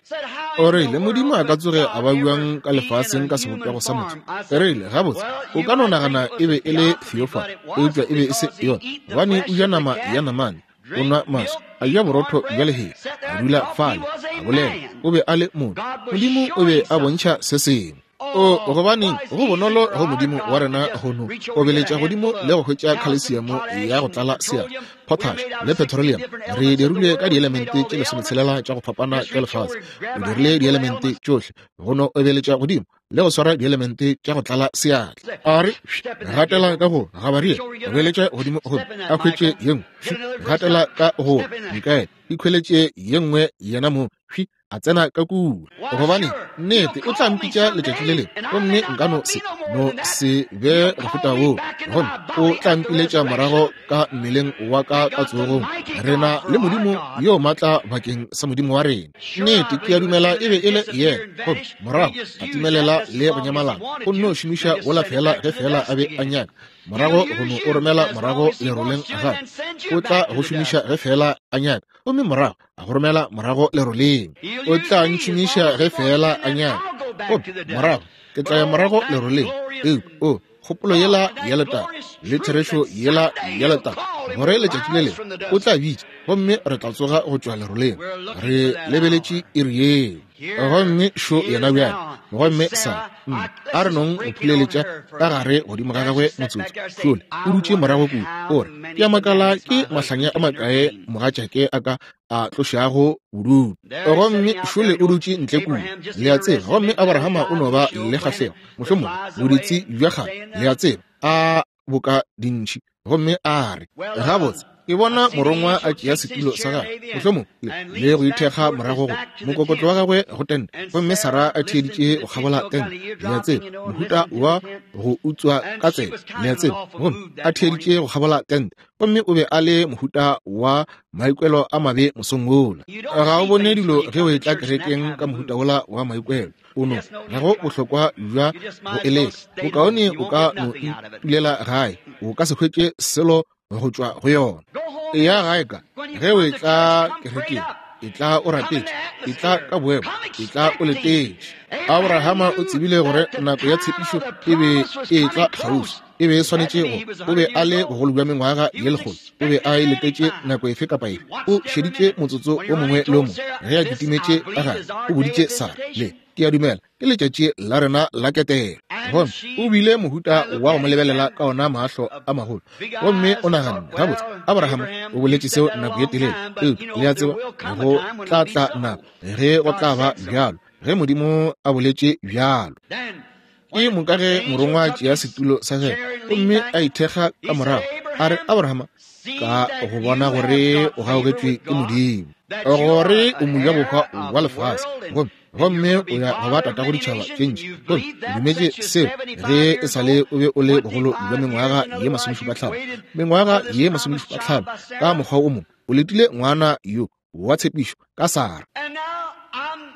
O rile, Modimo a ka tsoge a ba buang ka lefaseng ka sebopego sa motho. Rile, gabotse, o ka no nagana e be e le theophany, eupša e be e se yona, gobane o ja nama ya namane, o nwa maswi, a ja borotho bja lehea, a dula fale, a bolela, o be a le motho. Modimo o be a bontšha se sengwe. O gobaneng go bonolo go Modimo wa rena go no obeletša godimo le go hwetša khalesiamo ya go tlala seatla, potash le petroleum. Re dirilwe ka dielemente tše lesometshelela tša go fapana tša lefase. O dirile dielemente tšohle go no obeletša godimo le go swara dielemente tša go tlala seatla. A re gatela ka go Gabarie, obeletša godimo gomme a hwetše ye nngwe, gatela ka go Mikaele, ikhweletše ye nngwe yena mo, a tsena ka kua. Gobane nnete o tla mpitša letšatši le lengwe, gomme nka no se no se be go feta woo, gomme o tla mpiletša morago ka mmeleng wa ka ka tsogong. Re na le Modimo yo maatla bakeng sa Modimo wa rena. Nnete ke a dumela e be e le yena. Gomme morago a timelela le go nyamalana, o nno šomiša wola fela ge fela a be a nyaka. Morago go no o romela morago leroleng gape, o tla go šomiša ge fela a nyaka, gomme morago a go romela morago leroleng. O tla ntšhomiša ge fela a nyaka, gomme morago ke tla ya morago leroleng. Eupša o kgopolo yela ya letago le therešo yela ya letago, gore letšatši le lengwe o tla bitša, gomme re tla tsoga go tšwa leroleng. Re lebeletše iri yeo. Gomme šo yena bjale. Gomme sa a re nong go phuleletša ka gare godimo ga gagwe motsotso. Šole o dutše morago kua, o re, ke a makala ke mahlanya a makae mogatšake a ka a tlošago bodutu. Gomme šole o dutše ntle kua, le a tseba. Gomme Abrahama o no ba le kgahlego, mohlomongwe boditsi bja kgale, le a tseba, a boka dintšhi. Gomme a re, gabotse, ke bona morongwa a tšea setulo sa gagwe, mohlomongwe le go ithekga morago go mokokotlo wa gagwe go tente, gomme Sara a theeditše go kgabola tente, le a tseba, mohuta wa go utswa ka tsebe, le a tseba, gomme a theeditše go kgabola tente. Gomme o be a le mohuta wa maikwelo a mabe mosong wola. Ga o bone dilo ge o etla kerekeng ka mohuta wola wa maikwelo. O no ga go bohlokwa bja go eleka. Bokaone o ka no itulela gae, o ka se hwetše selo go tšwa go yona. Eya gae ka ge o etla kerekeng, etla o rapetše, etla ka boemo, etla o letetše. Abrahama o tsebile gore nako ya tshepišo e be e etla kgauswi, e be e swanetše go. O be a le bogolo bja mengwaga ye lekgolo, o be a e letetše nako efe kapa efe. O šeditše motsotso o mongwe le o mongwe ge a kitimetše ka gare. O boditše Sara, le ke a dumela ke letšatši la rena la ketelo. Gomme o bile mohuta wa go mo lebelela ka ona mahlo a magolo, gomme o naganne, gabotse, Abraham o boletše seo nako ye telele, eupša le a tseba go tla tla nako ge go tla ba bjalo, ge Modimo a boletše bjalo. Ke moka ge morongwa a tšea setulo sa gagwe gomme a ithekga ka morago, a re, Abrahama, ka go bona gore o gaugetšwe ke Modimo, gore o mojabohwa wa lefase, gomme gomme o ya go ba tatago ditšhaba tše ntši, gomme o dumetše seo ge e sa le o be o le bogolo bja mengwaga ye masomešupa hlano. Mengwaga ye masomešupa hlano, ka mokgwa o mongwe o letile ngwana yo wa tshepišo ka Sara.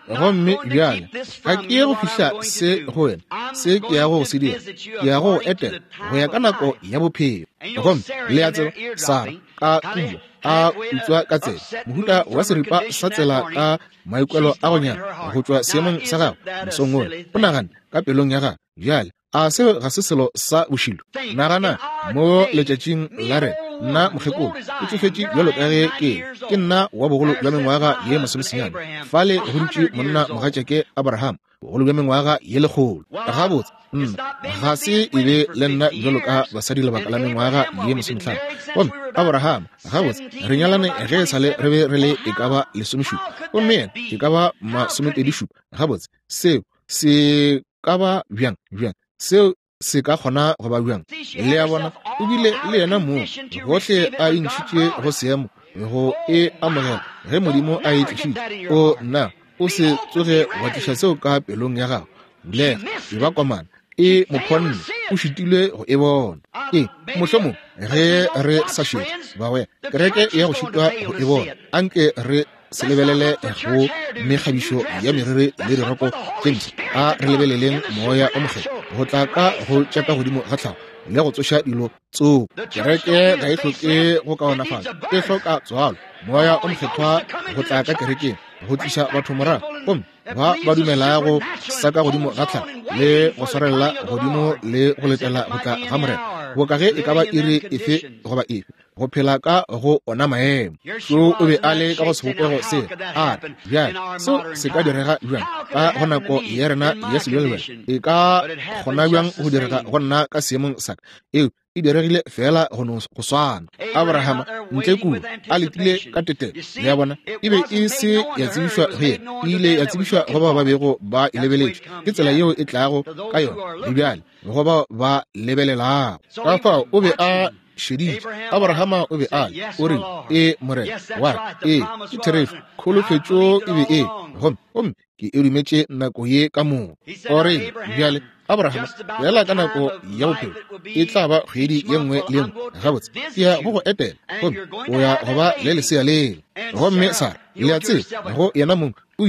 Gomme bjale ga ke ye go fihla se go wena, se ke ya go se dira, ke ya go etela go ya ka nako ya bophelo. Gomme le a tseba, Sara ka kua a utswa ka tsela, mohuta wa seripa sa tsela ka maikwelo a go nyama go tšwa seemong sa gagwe mosong wola. O nagane ka pelong ya gagwe, bjale a seo ga se selo sa bošilo? Nagana mo letšatšing la rena, nna mokgekolo ke tšofetše bjalo ka ge ke ke nna wa bogolo bja mengwaga ye masomesenyane. Fale go dutše monna mogatšake Abraham, bogolo bja mengwaga ye lekgolo. Gabotse, nna ga se e be le nna bjalo ka basadi lebaka la mengwaga ye masomehlano. Gomme Abraham, gabotse, re nyalane ge e sale re be re le e ka ba lesomešupa, gomme yena e ka ba masomepedišupa. Gabotse, seo se ka ba bjang bjang? Seo se ka kgona go ba bjang? Le a bona, o bile le yena moo gohle a intšhitše go seemo go e amogela ge Modimo a e tlišitše. O nna o se tsoge wa tliša seo ka pelong ya gago. Bulega, e ba komana, e mophonne, o šitilwe go e bona. E mohlomong ge re sa šetše, bagwera, kereke ya go šitwa go e bona. Anke re se lebelele go mekgabišo ya meriri le diroko tše mpsha. A re lebeleleng moya o mokgethwa go tla ka go tša ka godimo ga tlhago le go tsoša dilo tsoko. Kereke ga e hloke go kaonafatša, e hloka tswalo. Moya o mokgethwa go tla ka kerekeng go tliša batho morago, gomme ba ba dumelago sa ka godimo ga tlhago le go swarelela godimo le go letela go tla ga Morena, boka ge e ka ba iri efe goba efe, go phela ka go ona maemo. So o be a le ka go sebopego se. A re, bjale seo se ka direga bjang ka go nako ya rena ya sebjalebjale? E ka kgona bjang go direga go nna ka seemong sa ka? Eo e diregile fela go no go swana. Abrahama ntle kua a letile ka tetelo, le a bona, e be e se ya tsebišwa go yena, e ile ya tsebišwa go bao ba bego ba e lebeletše. Ke tsela yeo e tlago ka yona le bjale go bao ba lebelelago. Ka fao o be a šeditše. Abrahama o be a le, o rile, e Morena, wa re, e ke therešo, kholofetšo e be e, Gomme gomme ke e dumetše nako ye ka moka. O rile, bjale Abraham, bjala ka nako ya bophelo e tla ba kgwedi ye nngwe le nngwe. Gabotse, ke ya go go etela, gomme o ya go ba le lesea lela. Gomme Sara, le a tseba, go yena mong o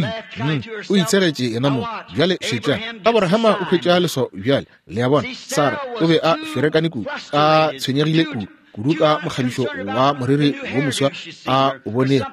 o itshegetše yena mong. Bjale šetšang, Abrahama o hwetša leswao bjale. Le a bona, Sara o be a ferekane kudu, a tshwenyegile kudu kudu ka mokgabišo wa moriri wo moswa a o bonego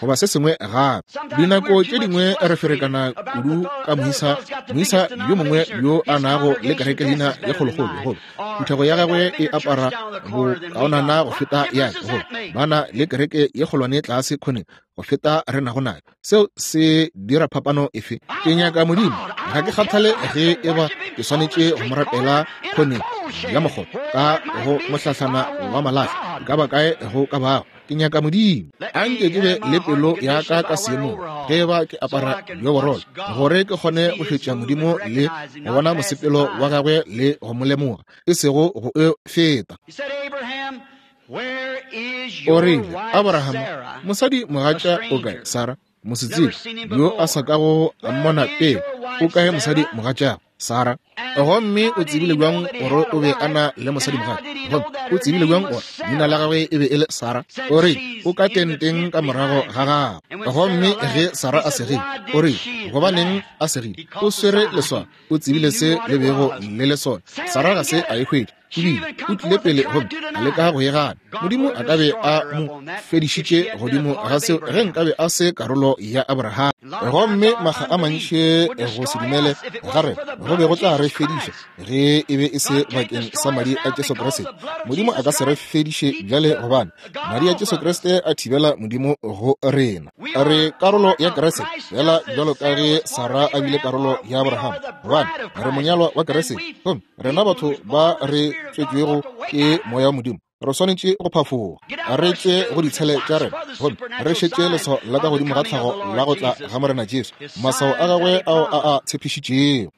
goba se sengwe gape. Dinako tše dingwe re ferekana kudu ka moisa moisa yo mongwe yo a nago le kereke leina ye kgolokgolo, goba phuthego ya gagwe e apara bokaonana go feta ya ka, goba ba na le kereke ye kgolwane tlase kgoneng go feta re nago nayo. Seo se dira phapano efe? Ke nyaka Modimo. Ga ke kgathale ge e ba ke swanetše go mo rapela kgoneng ya mokgobo ka go mohlahlana wa malahla, ka ba kae go ka bago. Ke nyaka Modimo. A nke ke be le pelo ya ka ka seemong ge ba ke apara dioborolo, gore ke kgone go šetša Modimo le go bona mosepelo wa gagwe le go mo lemoga, e sego go e feta. O rile, Abraham, mosadi mogatša o kae? Sara, mosetsebje yo a sa kago a mmona pele, o kae mosadi mogatšago? Sara. Gomme o tsebile bjang gore o be a na le mosadi mogatša? Gomme o tsebile bjang gore leina la gagwe e be e le Sara? O rile, o ka tenteng ka morago ga gagwe. Gomme ge Sara a segile, o rile, gobaneng a segile? O swere leswao. O tsebile se le bego le le sona. Sara ga se a e hwetše. Ebile o tlile pele gomme a leka go e gana. Modimo a ka be a mo fedišitše godimo ga seo ge nkabe a se karolo ya Abraham. Gomme makga a mantši go se dumele ga rena go be go tla re fediša ge e be e se bakeng sa madi a Jesu Kriste. Modimo a ka se re fediše bjale, gobane madi a Jesu Kriste a thibela Modimo go rena. Re karolo ya Kriste, fela bjalo ka ge Sara a bile karolo ya Abraham, gobane re monyalwa wa Kriste. Gomme rena batho ba re tswetšwego ke moya wa Modimo re swanetše go phafoga, re tšwe go ditshele tša rena, gomme re šetše leswao la ka godimo ga tlhago la go tla ga Morena Jesu, maswao a gagwe ao a a tshepišitšego.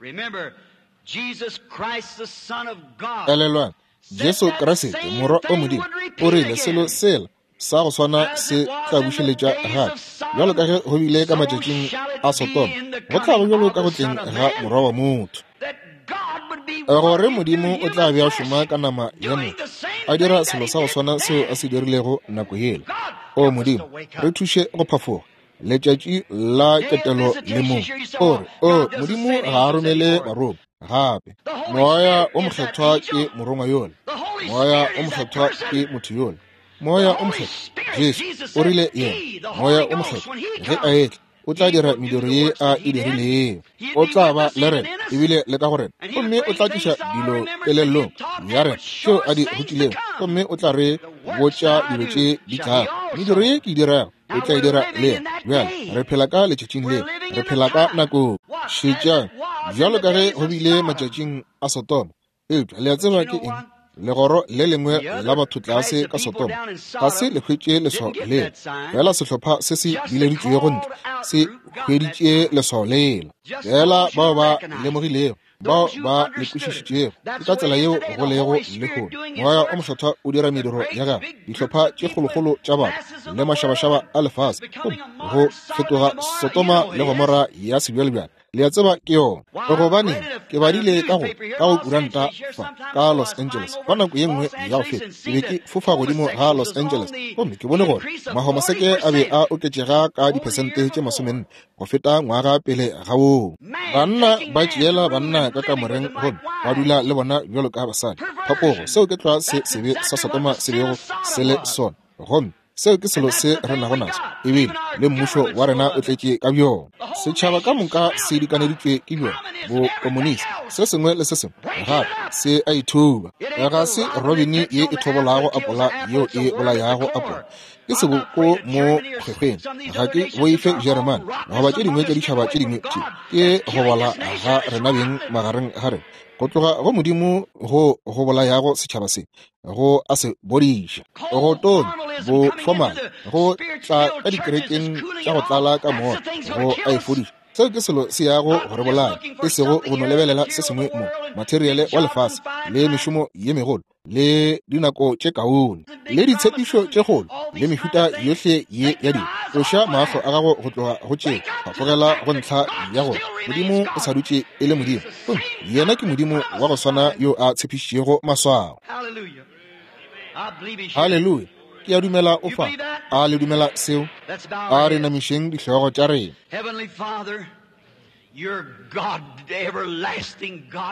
Elelwang, Jesu Kriste, Morwa o Modimo, o rile selo sela sa go swana se tla bušeletša gape, bjalo ka ge go bile ka matšatšing a Sodoma, go tla ba bjalo ka go tleng ga Morwa wa motho. Gore Modimo o tla be a šoma ka nama ya motho, a dira selo sa go swana seo a se dirilego nako yela. O Modimo, re thuše go phafoga letšatši la ketelo le mo. O re, o Modimo ga a romele barongwa gape. Moya o Mokgethwa ke morongwa yola. Moya o Mokgethwa ke motho yola. Moya o Mokgethwa, Jesu o rile yena, Moya o Mokgethwa ge a etla o tla dira mediro ye a e dirilego. O tla ba le rena ebile le ka go rena, gomme o tla tliša dilo kelellong ya rena tšeo a di rutilego, gomme o tla re botša dilo tše di tlago. Mediro ye ke e dirago o tla e dira le yena. Bjale re phela ka letšatšing leo, re phela ka nakong. Šetšang, bjalo ka ge go bile matšatšing a Sodoma. Eupša le a tseba ke eng? Legoro le lengwe la batho tlase ka Sodoma ga se le hwetše leswao lela, fela sehlopha se se bileditšwego ntle se hweditše leswao lela. Fela bao ba lemogilego, bao ba le kwešišitšego, ke ka tsela yeo go lego lehono. Moya o Mokgethwa o dira mediro ya gagwe, dihlopha tše kgolokgolo tša batho le mašabašaba a lefase, gomme go fetoga Sodoma le Gomora ya sebjalebjale. Le a tseba ke yona. Gobane ke badile ka go ka go kuranta fa ka Los Angeles fa nako ye nngwe ya go feta. Ke be ke fofa godimo ga Los Angeles, gomme ke bone gore mahomoseke a be a oketšega ka diphesente tše masomenne go feta ngwaga pele ga woo. Banna ba tšeela banna ka kamoreng gomme ba dula le bona bjalo ka basadi. Phapogo, seo ke tlwa se sebe sa Sodoma se bego se le sona. Gomme seo ke selo se re nago naso, ebile le mmušo wa rena o tletše ka bjona. Setšhaba ka moka se dikaneditšwe ke bjona bokomonisi, se sengwe le se sengwe gape se a ithuba. Ga se robini ye e thobolago apola yeo e bolayago apola, ke seboko mo kgwekgweng. Ga ke boife Jeremane goba tše dingwe tša ditšhaba tše dingwe tše, ke go bola ga rena beng magareng ga rena, go tloga go Modimo go go bolayago setšhaba se, go a se bodiša, go tonya, bo formal, go tla ka dikerekeng tša go tlala ka moya, go a e fodiša. Seo ke selo se yago go re bolaya, e sego go no lebelela se sengwe mo, materiale wa lefase, le mešomo ye megolo, le dinako tše kaone, le ditshepišo tše kgolo, le mehuta yohle ye ya dilo. Tloša mahlo a gago go tloga go tšeo, tlogela go ntlha ya gore Modimo o sa dutše e le Modimo. Gomme yena ke Modimo wa go swana yo a tshepišitšego maswao. Haleluya! Ke a dumela o fa. A le dumela seo? A re namišeng dihlogo tša rena.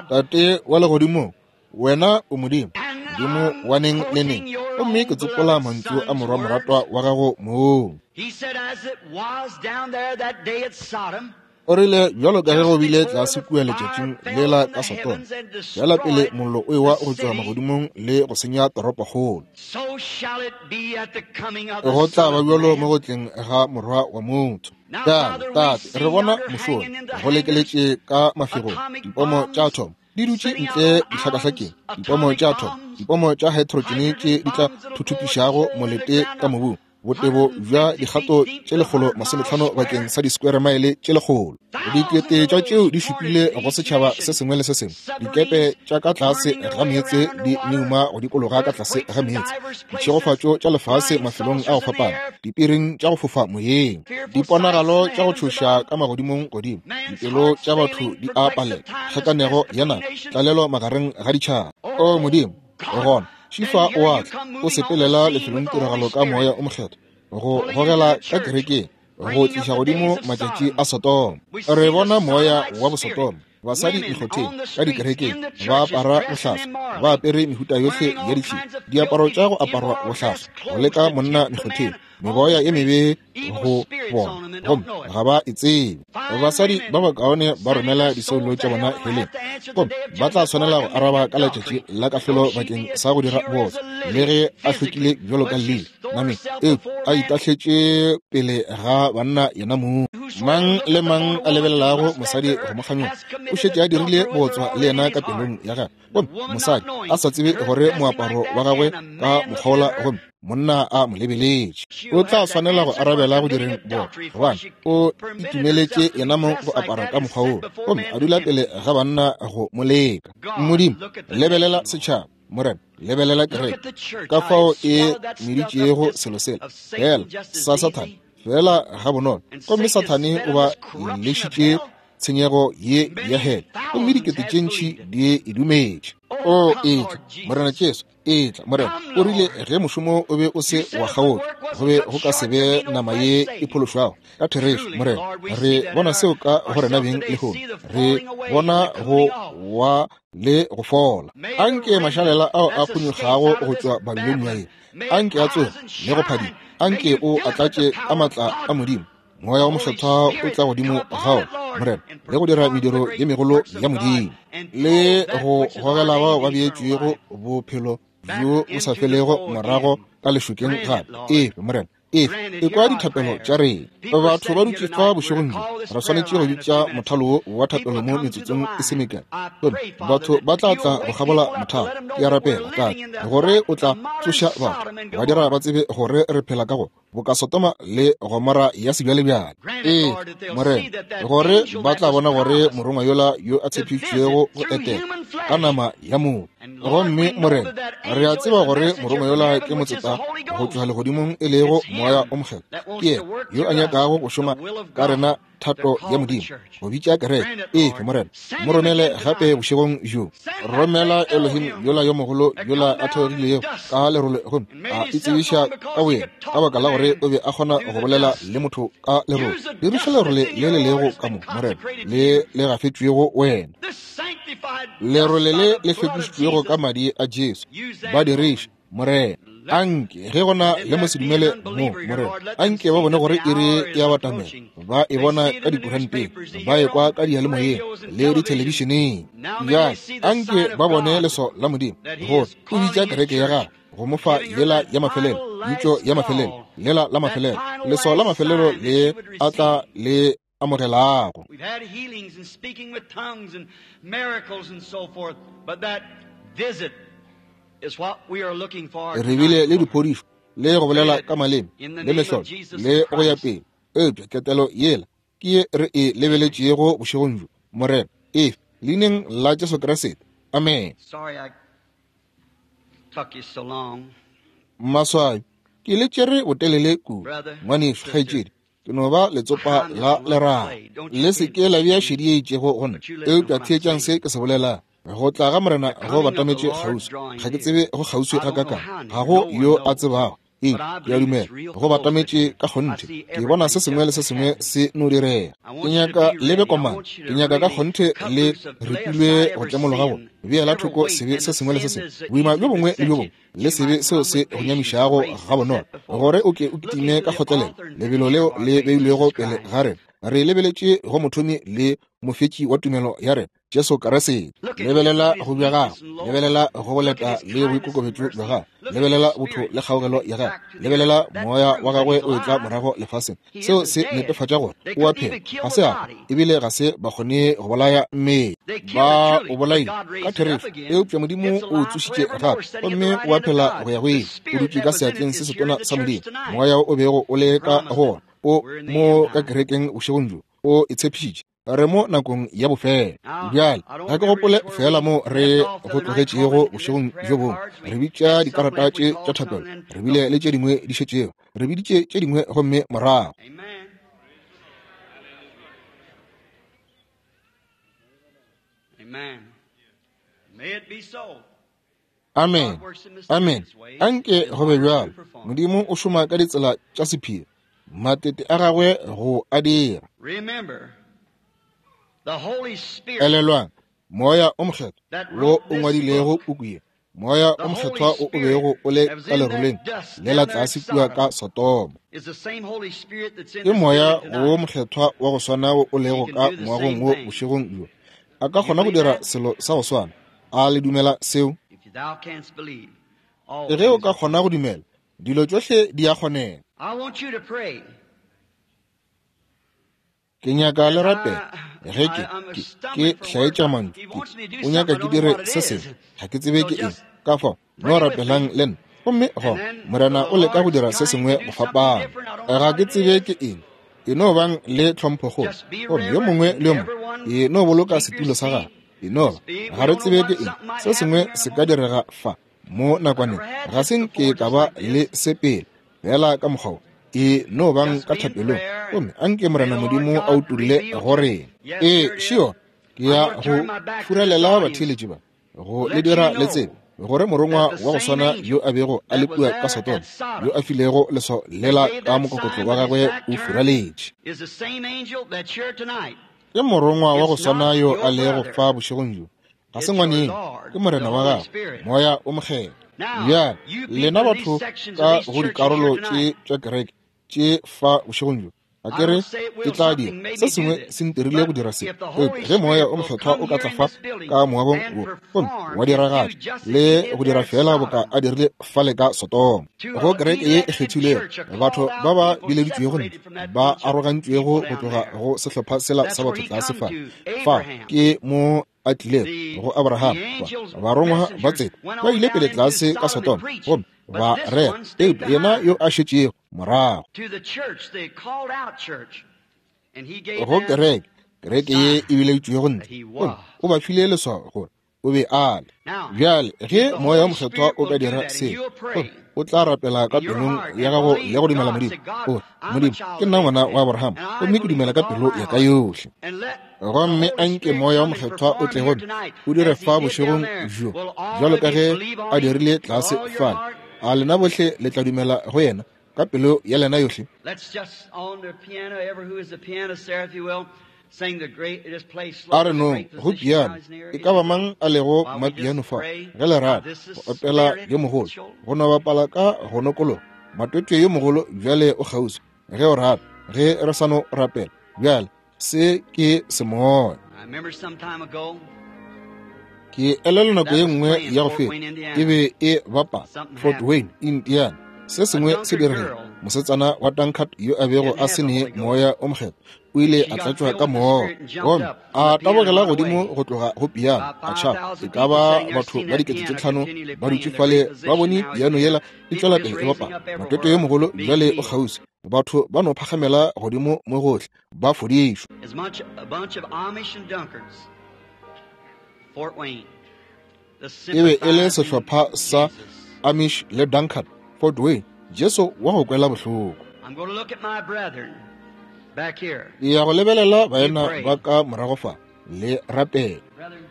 Tate wa legodimong, wena o Modimo, Modimo wa neng le neng. Gomme ke tsopola mantšu a morwa moratwa wa gago mong. O rile bjalo ka ge go bile tlase kua letšatšing lela ka Sodoma, bjala pele mollo o ewa go tšwa magodimong le go senya toropokgolo, go tla ba bjalo mo go tleng ga morwa wa motho. Bjale, Tate, re bona mošola go lekeletše ka mafegong, dipomo tša athomo di dutše ntle dihlakahlakeng, dipomo tša athomo, dipomo tša hydrogen tše di tla thuthupišago molete ka mobung, botebo bja dikgato tše lekgolo masometlhano bakeng sa di-square mile tše lekgolo. Dikete tša tšeo di šupile go setšhaba se sengwe le se sengwe. Dikepe tša ka tlase ga meetse di meuma go dikologa ka tlase ga meetse. Ditšhegofatšo tša lefase mafelong a go fapana, dipiring tša go fofa moyeng, diponagalo tša go tšhoša ka magodimong godimo, dipelo tša batho di a palela, kgakanego ya naga, tlalelo magareng ga ditšhaba. O Modimo, gona Šifa o a tla, o sepelela lefelong tiragalo ka moya o mokgethwa, go gogela ka kerekeng, go tliša godimo matšatši a Sodoma. Re bona moya wa bosodoma, basadi mekgotheng, ka dikerekeng, ba apara bohlaswa, ba apere mehuta yohle ya ditšhila, diaparo tša go aparwa bohlaswa, go leka monna mekgotheng, meboya ye mebe go bona, gomme ga ba e tsebe. Basadi ba bakaone ba romela disoulo tša bona heleng, gomme ba tla swanela go araba ka letšatši la kahlolo bakeng sa go dira bootswa, le ge a hlwekile bjalo ka lili nameng, eupša a itahletše pele ga banna yena mong. Mang le mang a lebelelago mosadi go mo kganyoga o šetše a dirile bootswa le yena ka pelong ya gagwe. Gomme mosadi a sa tsebe gore moaparo wa gagwe ka mokgaola, gomme monna a mo lebeletše, o tla swanela go arabela go direng bootswa, gobane o itumeletše yena mong go apara ka mokgwa woo, gomme a dula pele ga banna go mo leka. Modimo, lebelela setšhaba, Morena, lebelela kereke, ka fao e meditšego selo sela fela sa Sathane, fela ga bonolo. Gomme Sathane o ba lešitše tshenyego ye ya hele, gomme dikete tše ntši di e dumetše. O etla, Morena Jesu, etla, Morena. O rile ge mošomo o be o se wa kgaotšwa, go be go ka se be nama ye e phološwago. Ka therešo, Morena, re bona seo ka go rena beng lehono. Re bona go wa le go fola. Anke mašalela ao a phonyokgago go tšwa Babilonia ye, anke a tsoge le go phadima. Anke o a tlatše ka maatla a Modimo. Moya wa mokgethwa o tla godimo ga ona, Morena, le go dira mediro ye megolo ya Modimo, le go gogela bao ba beetšwego bophelo bjo bo sa felego morago ka lešokeng gape. Efe, Morena, efe, ekwa dithapelo tša rena. Batho ba dutše fa bošegong bjo, re swanetše go bitša mothalo wo wa thapelo mo metsotsong e se mekae. Gomme batho ba tla tla go kgabola mothalo. Ke a rapela, Tate, gore o tla tsoša batho, ba dira ba tsebe gore re phela ka go boka Sodoma le Gomora ya sebjalebjale. Ee, Morena, gore ba tla bona gore morongwa yola yo a tshepišitšwego go etela ka nama ya motho. Gomme Morena, re a tseba gore morongwa yola ke motseta go tšwa legodimong, e lego moya o mokgethwa. Ke yena yo a nyakago go šoma ka rena thato ya Modimo, go bitša kereke. Efe, Morena, mo romele gape bošegong bjo. Romela Elohim yola yo mogolo yola a theogilego ka lerole, gomme a itsebiša ka boyena, ka baka la gore o be a kgona go bolela le motho ka lerole. Diriša lerole le le lego ka mo, Morena, le le gafetšwego wena, lerole le le hlwekišitšwego ka madi a Jesu. Ba diriše, Morena. Anke ge gona le mosedumele mo, Morena, anke ba bone gore iri ya batamela. Ba e bona ka dikuranteng, ba e kwa ka diyalemoyeng le dithelebišeneng. Bjale anke ba bone leso la Modimo, gore o bitša kereke ya gagwe go mo fa lela ya mafelelo, pitšo ya mafelelo, lela la mafelelo, leso la mafelelo le a tla le amogelago. Re bile le diphodišo le go bolela ka maleme le mehlolo le go ya pele, eupša ketelo yela Ke ye re e lebeletšego bošegong bjo, Morena, efe leineng la Jesu Kriste. Amen. Maswabi, ke le tšere botelele kudu. Ngwanešu, kgaetšedi, ke no ba letsopa la leraga. Le se ke la bea šedi ye itšego go nna, eupša theetšang se ke se bolelang. Go tla ga Morena go batametše kgauswi. Ga ke tsebe go kgauswi gakakang, ga go yo a tsebago. Ee, ke a dumela go batametše ka kgonthe. Ke bona se sengwe le se sengwe se no direga. Ke nyaka le be komana, ke nyaka ka kgonthe le ripilwe go tlemologa go beela thoko sebe se sengwe le se sengwe, boima bjo bongwe le bjo bongwe, le sebe seo se go nyamišago gabonolo, gore o ke o kitime ka kgotlelelo lebelo leo le beilwego pele ga rena. Re lebeletše go mothomi le mofetši wa tumelo ya rena, Jesu Kriste. Lebelela go bja gago, lebelela go boleta le boikokobetšo bja gago, lebelela botho le kgaogelo ya gago, lebelela moya wa gagwe o etla morago lefaseng. Seo se netefatša gore o a phela, ga se a ebile ga se ba kgone go bolaya mmele. Ba o bolaile ka therešo, eupša Modimo o tsošitše gape, gomme o a phela go ya go ile. O dutše ka seatleng se setona sa Modimo. Moya o bego o le ka go ona o mo ka kerekeng bošegong bjo, o e tshepišitše. Re mo nakong ya bofelo bjale. Ga ke gopole fela mo re go tlogetšego bošegong bjo bongwe. Re bitša dikarata tše tša thapelo, re bile le tše dingwe di šetšego, re biditše tše dingwe gomme morago. Amen. Amen. Anke go be bjalo. Modimo o šoma ka ditsela tša sephiri, matete a gagwe go a dira. Elelwang, Moya o Mokgethwa wo o ngwadilego puku ye, Moya o Mokgethwa o o bego o le ka leroleng le la tlase kua ka Sodoma, ke Moya wo Mokgethwa wa go swana wo o lego ka moagong wo bošegong bjo. A ka kgona go dira selo sa go swana. A le dumela seo? Ge o ka kgona go dumela, dilo tšohle di a kgonega. Ke nyaka le rapela. Ge ke ke ke hlaetša mantšu, ke o nyaka ke dire se sengwe, ga ke tsebe ke eng. Ka fao no rapelang le nna, gomme go Morena o leka go dira se sengwe go fapana. Ga ke tsebe ke eng. E no bang le tlhomphokgolo, gomme yo mongwe le yo mongwe e no boloka setulo sa gagwe. E no ba ga re tsebe ke eng, se sengwe se ka direga fa mo nakwaneng. Ga se nke ka ba le se pele, fela ka mokgwa wo. E no bang ka thapelong, gomme anke Morena Modimo a utolle go rena. Ee, šio ke ya go furalela batheeletši ba, go le dira le tsebe gore morongwa wa go swana yo a bego a le kua ka Sodoma, yo a filego leswao lela ka mokokotlo wa gagwe, o furaletše. Ke morongwa wa go swana yo a lego fa bošegong bjo. Ga se ngwaneng, ke Morena wa gagwe, Moya o Mokgethwa. Bjale lena batho ka go dikarolo tše tša kereke tše fa bošegong bjo, a ke re ke tla dira se sengwe se ntirile go dira se. Eupša ge Moya o Mokgethwa o ka tla fa ka moagong wo gomme wa diragatša le go dira fela boka a dirile fale ka Sodoma, go kereke ye e kgethilwego, batho ba ba bileditšwego ntle, ba arogantšwego go tloga go sehlopha sela sa batho tlase fa, fa ke mo a tlilego go Abraham. Barongwa ba tseta ba ile pele tlase ka Sodoma gomme ba rera, eupša yena yo a šetšego morago go kereke, kereke ye e bileditšwego ntle, gomme o ba file leswao gore o be a le. Bjale ge Moya o Mokgethwa o ka dira se, gomme o tla rapela ka pelong ya gago le go dumela Modimo, o re, Modimo, ke nna ngwana wa Abraham, gomme ke dumela ka pelo ya ka yohle. Gomme anke Moya o Mokgethwa o tle gomme o dire fa bošegong bjo bjalo ka ge a dirile tlase fale. A lena bohle le tla dumela go yena ka pelo ya lena yohle? A re nong go piano, e ka ba mang a lego mapiano fa, ge le rata go opela yo mogolo, go no bapala ka go nokologa. Matwetwe yo mogolo bjale o kgauswi, ge o rata, ge re sa no rapela bjale. Se ke semoya. Ke elelwa nako ye nngwe ya go feta, e be e bapala Fort Wayne, Indiana. Se sengwe se diregile. Mosetsana wa Dunkard yo a bego a se ne Moya o Mokgethwa o ile a tlatšwa ka moya, gomme a tabogela godimo go tloga go piano, a tšhaba. E ka ba batho ba dikete tše tlhano ba dutše fale ba bone piano yela e tšwela pele e bapala. Matwetwe yo mogolo bjale o kgauswi, Batho ba no phagamela godimo mo gohle, ba fodišwa. As much a bunch of Amish and Dunkards, Fort Wayne. The E be e le sympathizing sehlopha sa Jesus. Amish le Dunkard, Fort Wayne. Jesu wa go kwela bohloko. I'm going to look at my brethren back here. Ke ya go lebelela baena ba ka morago fa le rapela. Brethren,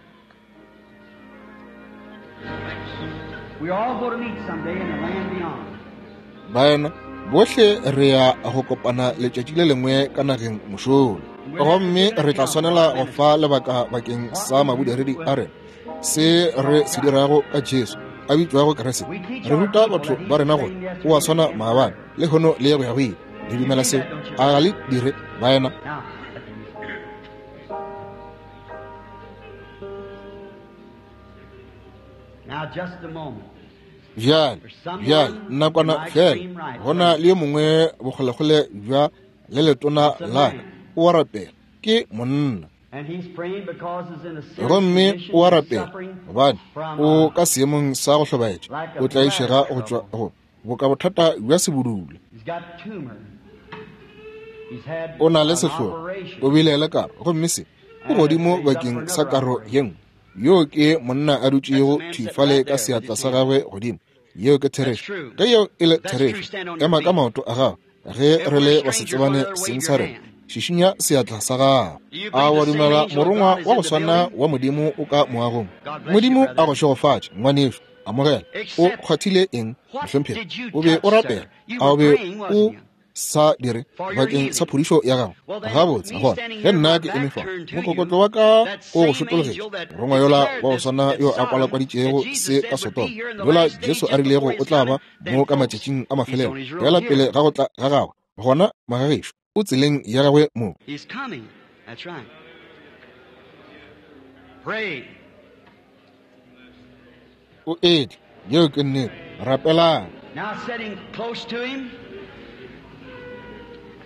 we all go to meet someday in the land beyond. Baena bohle re ya go kopana letšatši le lengwe ka nageng mošola, gomme re tla swanela go fa lebaka bakeng sa mabodiredi a rena, se re se dirago ka Jesu a bitšwago Kriste. Re ruta batho ba rena gore o a swana maabane, lehono le go ya go ile. Le dumela seo? A ga le dire, baena? Now, now just a moment. Bjale, bjale, nakwana fela, go na le yo mongwe bokgolekgole bja le letona la ka, o a rapela, ke monna. And he's praying because he's in a serious Gomme condition, o a he's rapela suffering gobane from o a, ka seemong sa go hlobaetša, o tlaišega go tšwa go boka bothata bja sebudula. he's got tumor. He's had O na le an sehlogo, operation. o bile le karo, gomme se o godimo bakeng sa karo ye nngwe. Yo ke monna a dutšego thwi fale ka seatla sa gagwe godimo. Yeo ke therešo. Ge yeo e le therešo, ema ka maoto a gago. Ge re le basetsebane seng sa rena, šišinya seatla sa gago. A wa dumela morongwa wa go swana wa Modimo o ka moagong? Modimo a go šegofatše, ngwanešu. Amogela. O kgwathile eng, mohlomphegi? O be o rapela. A o be o sa dire bakeng sa phodišo ya gago? Gabotse, gona ge nna ke eme fa, mokokotlo wa ka o go šotologetše, morongwa yola wa go swana yo a kwalakwaditšego se ka Sodoma, yola Jesu a rilego o tla ba mo ka matšatšing a mafelelo, fela pele ga go tla ga gagwe, gona magagešo o tseleng ya gagwe mo. He's coming. That's right. Pray. O etla. Yeo ke nnete. Rapelang. Now sitting close to him,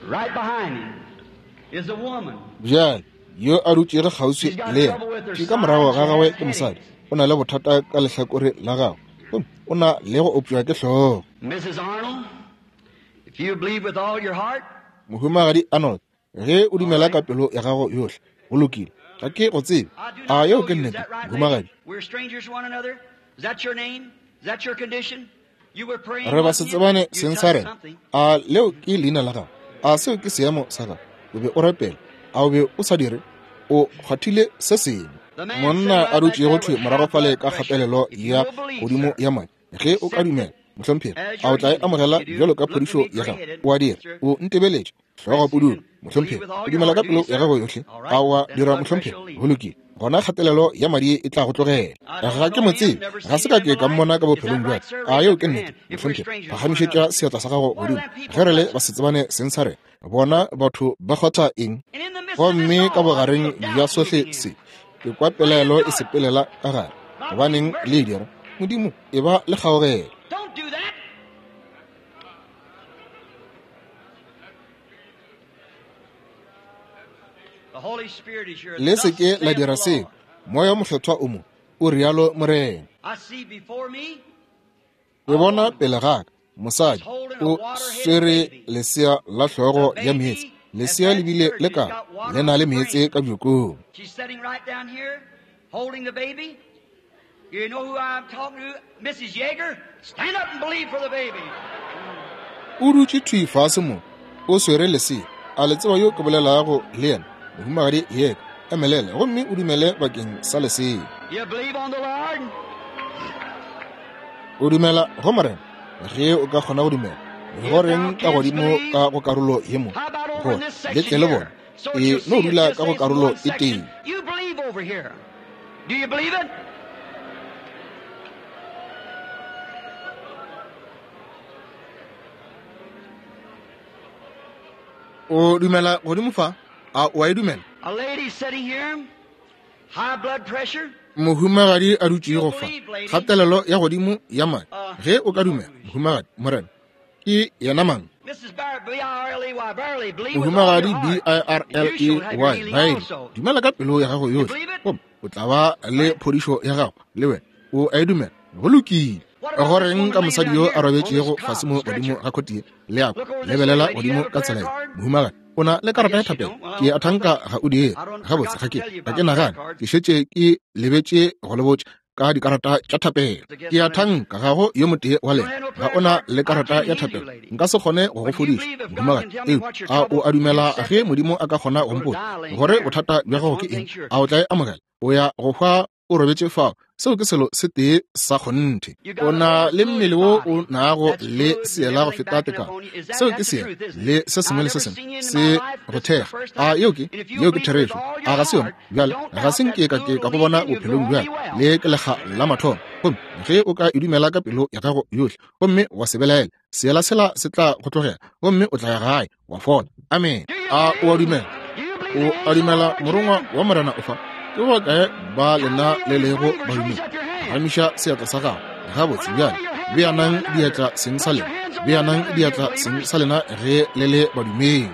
right behind him, is a woman. Bjale yo a dutšego kgauswi le yena ke ka morago ga gagwe ke mosadi. O na le bothata ka lehlakore la gagwe, gomme o na le go opšwa ke hlogo. Missus Arnold, if you believe with all your heart, Mohumagadi Arnold, ge o dumela ka pelo ya gago yohle, go lokile. Ga ke go tsebe. I do A not yeo know ke you. Is nnete, that right, lady? mohumagadi? We're strangers to one another. Is that your name? Is that your condition? You were praying, Re ba wasn't you? setsebane You seng sa touched rena. something. A leo ke leina la gago? A seo ke seemo sa gago? O be o rapela. A o be o sa dire? O kgwathile se sengwe. Monna a dutšego thwi morago fale ka kgatelelo ya godimo ya madi. Ge o ka dumela, mohlomphegi, a o tla e amogela bjalo ka phodišo ya gago? O a dira. O ntebeletše, hlogo pudulo, mohlomphegi. O dumela ka pelo ya gago yohle? A o a dira, mohlomphegi? Go lokile. Gona kgatelelo ya madi e tla go tlogela. Ga ke mo tsebe, ga se ka ke ka mmona ka bophelong bja ka. A yeo ke nnete, mohlomphegi? Phagamišetša seatla sa gago godimo. Ge re le basetsebane seng sa rena, bona batho ba kgwatha eng? And in the midst of this Gomme ka all, I bogareng feel bja doubt sohle moving in. se, ke kwa pelaelo e sepelela ka gare. Gobaneng le e dira? Modimo, e ba le kgaogelo. Don't do that. The Holy Spirit is here. Le se Thus ke la saith dira the seo. Lord. Moya o mokgethwa o mo, o rialo Morena. I see before me Ke bona pele ga ka mosadi o swere lesea la hlogo ya meetse. Lesea le bile le ka le na le meetse ka bjokong. She's sitting right down here, holding the baby. You know who I'm talking to? Missus Yeager. Stand up and believe for the baby. O dutše thwi fase mo, o swere lesea. A le tseba yo ke bolelago le yena? Mohumagadi Yeager, emelela gomme o dumele bakeng sa lesea. You believe on the Lord? O dumela go Morena? Ge o ka kgona go dumela, go reng ka godimo ka go karolo ye mo? How about over Gore in this le section tle le bona. here? So E you'll no see it dula just ka go says karolo one e section. tee. You believe over here. Do you believe it? O dumela godimo fa? A o a e dumela? A lady sitting here, high blood pressure. Mohumagadi a dutšego fa, kgatelelo ya godimo ya madi. Ge o ka dumela, mohumagadi, Morena ke yena mang? Missus Bar- B I R L E Y, Barley, believe with all Mohumagadi your B heart, I R and L you shall E have your Y healing Bailey, also. dumela ka pelo ya gago yohle, gomme o tla ba le phodišo ya gago le wena. O a e dumela? Go lokile. Goreng ka mosadi yo a robetšego fase mo godimo ga khotie? Le ako lebelela godimo ka tsela ye, mohumagadi. O na le karata ya thapelo? Ke a thanka ga o dire. Gabotse, ga ke ga ke nagane ke šetše ke lebetše go le botša ka dikarata tša thapelo. Ke a thanka ga go yo motee wa lena ga o na le karata ya thapelo. Nka se kgone go go fodiša, mohumagadi. Eupša a o a dumela ge Modimo a ka kgona go mpotša gore bothata bja gago ke eng? A o tla e amogela? O ya go hwa o robetše fao. Seo ke selo se tee sa kgonthe. O na le mmele wo o nago le seela go feta tekano. Seo ke seela le se sengwe le se sengwe se go thekga. A yeo ke yeo ke therešo? A ga se yona? Bjale ga se nke ka ke ka go bona bophelong bjale, le ke lekga la mathomo. Gomme ge o ka e dumela ka pelo ya gago yohle gomme wa se belaela, seela sela se tla go tlogela gomme o tla ya gae wa fola. Amen. A o a dumela? O a dumela morongwa wa Morena o fa? Ke ba kae ba lena le lego badumedi? Phagamiša seatla sa gago. Gabotse, bjale beanang diatla seng sa lena, beanang diatla seng sa lena ge le le badumedi.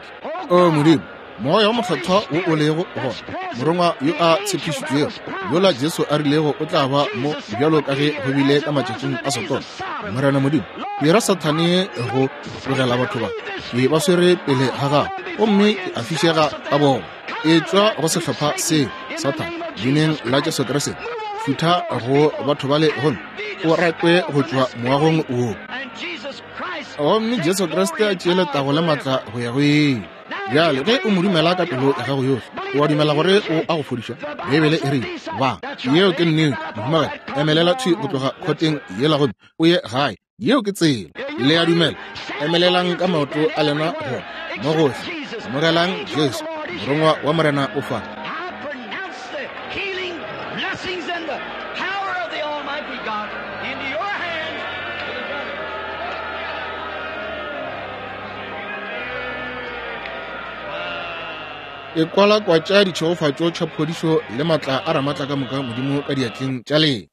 O Modimo, Moya wa Mokgethwa wo o lego gona, morongwa yo a tshepišitšwego, yola Jesu a rilego o tla ba mo bjalo ka ge go bile ka matšatšing a Sodoma. Morena Modimo, dira Sathane go tlogela batho ba, ke ba swere pele ga gago, gomme ke a fišega ka bona. E tšwa go sehlopha seo, Sathane, leineng la Jesu Kriste, futha go batho bale gomme o rakwe go tšwa moagong wo. Gomme Jesu Kriste a tšee letago le maatla go ya go ile. Bjale ge o mo dumela ka pelo ya gago yohle, o a dumela gore o a go fodiša? Beibele e rile ba. Yeo ke nnete, mohumagadi. Emelela thwi go tloga khoteng yela gomme o ye gae. Yeo ke tsela. Le a dumela? Emelelang ka maoto a lena gona mo gohle. Amogelang Jesu, morongwa wa Morena o fa. E kwalakwatša ditšhegofatšo tša phodišo le maatla a Ramaatla ka moka Modimo ka diatleng tša lena.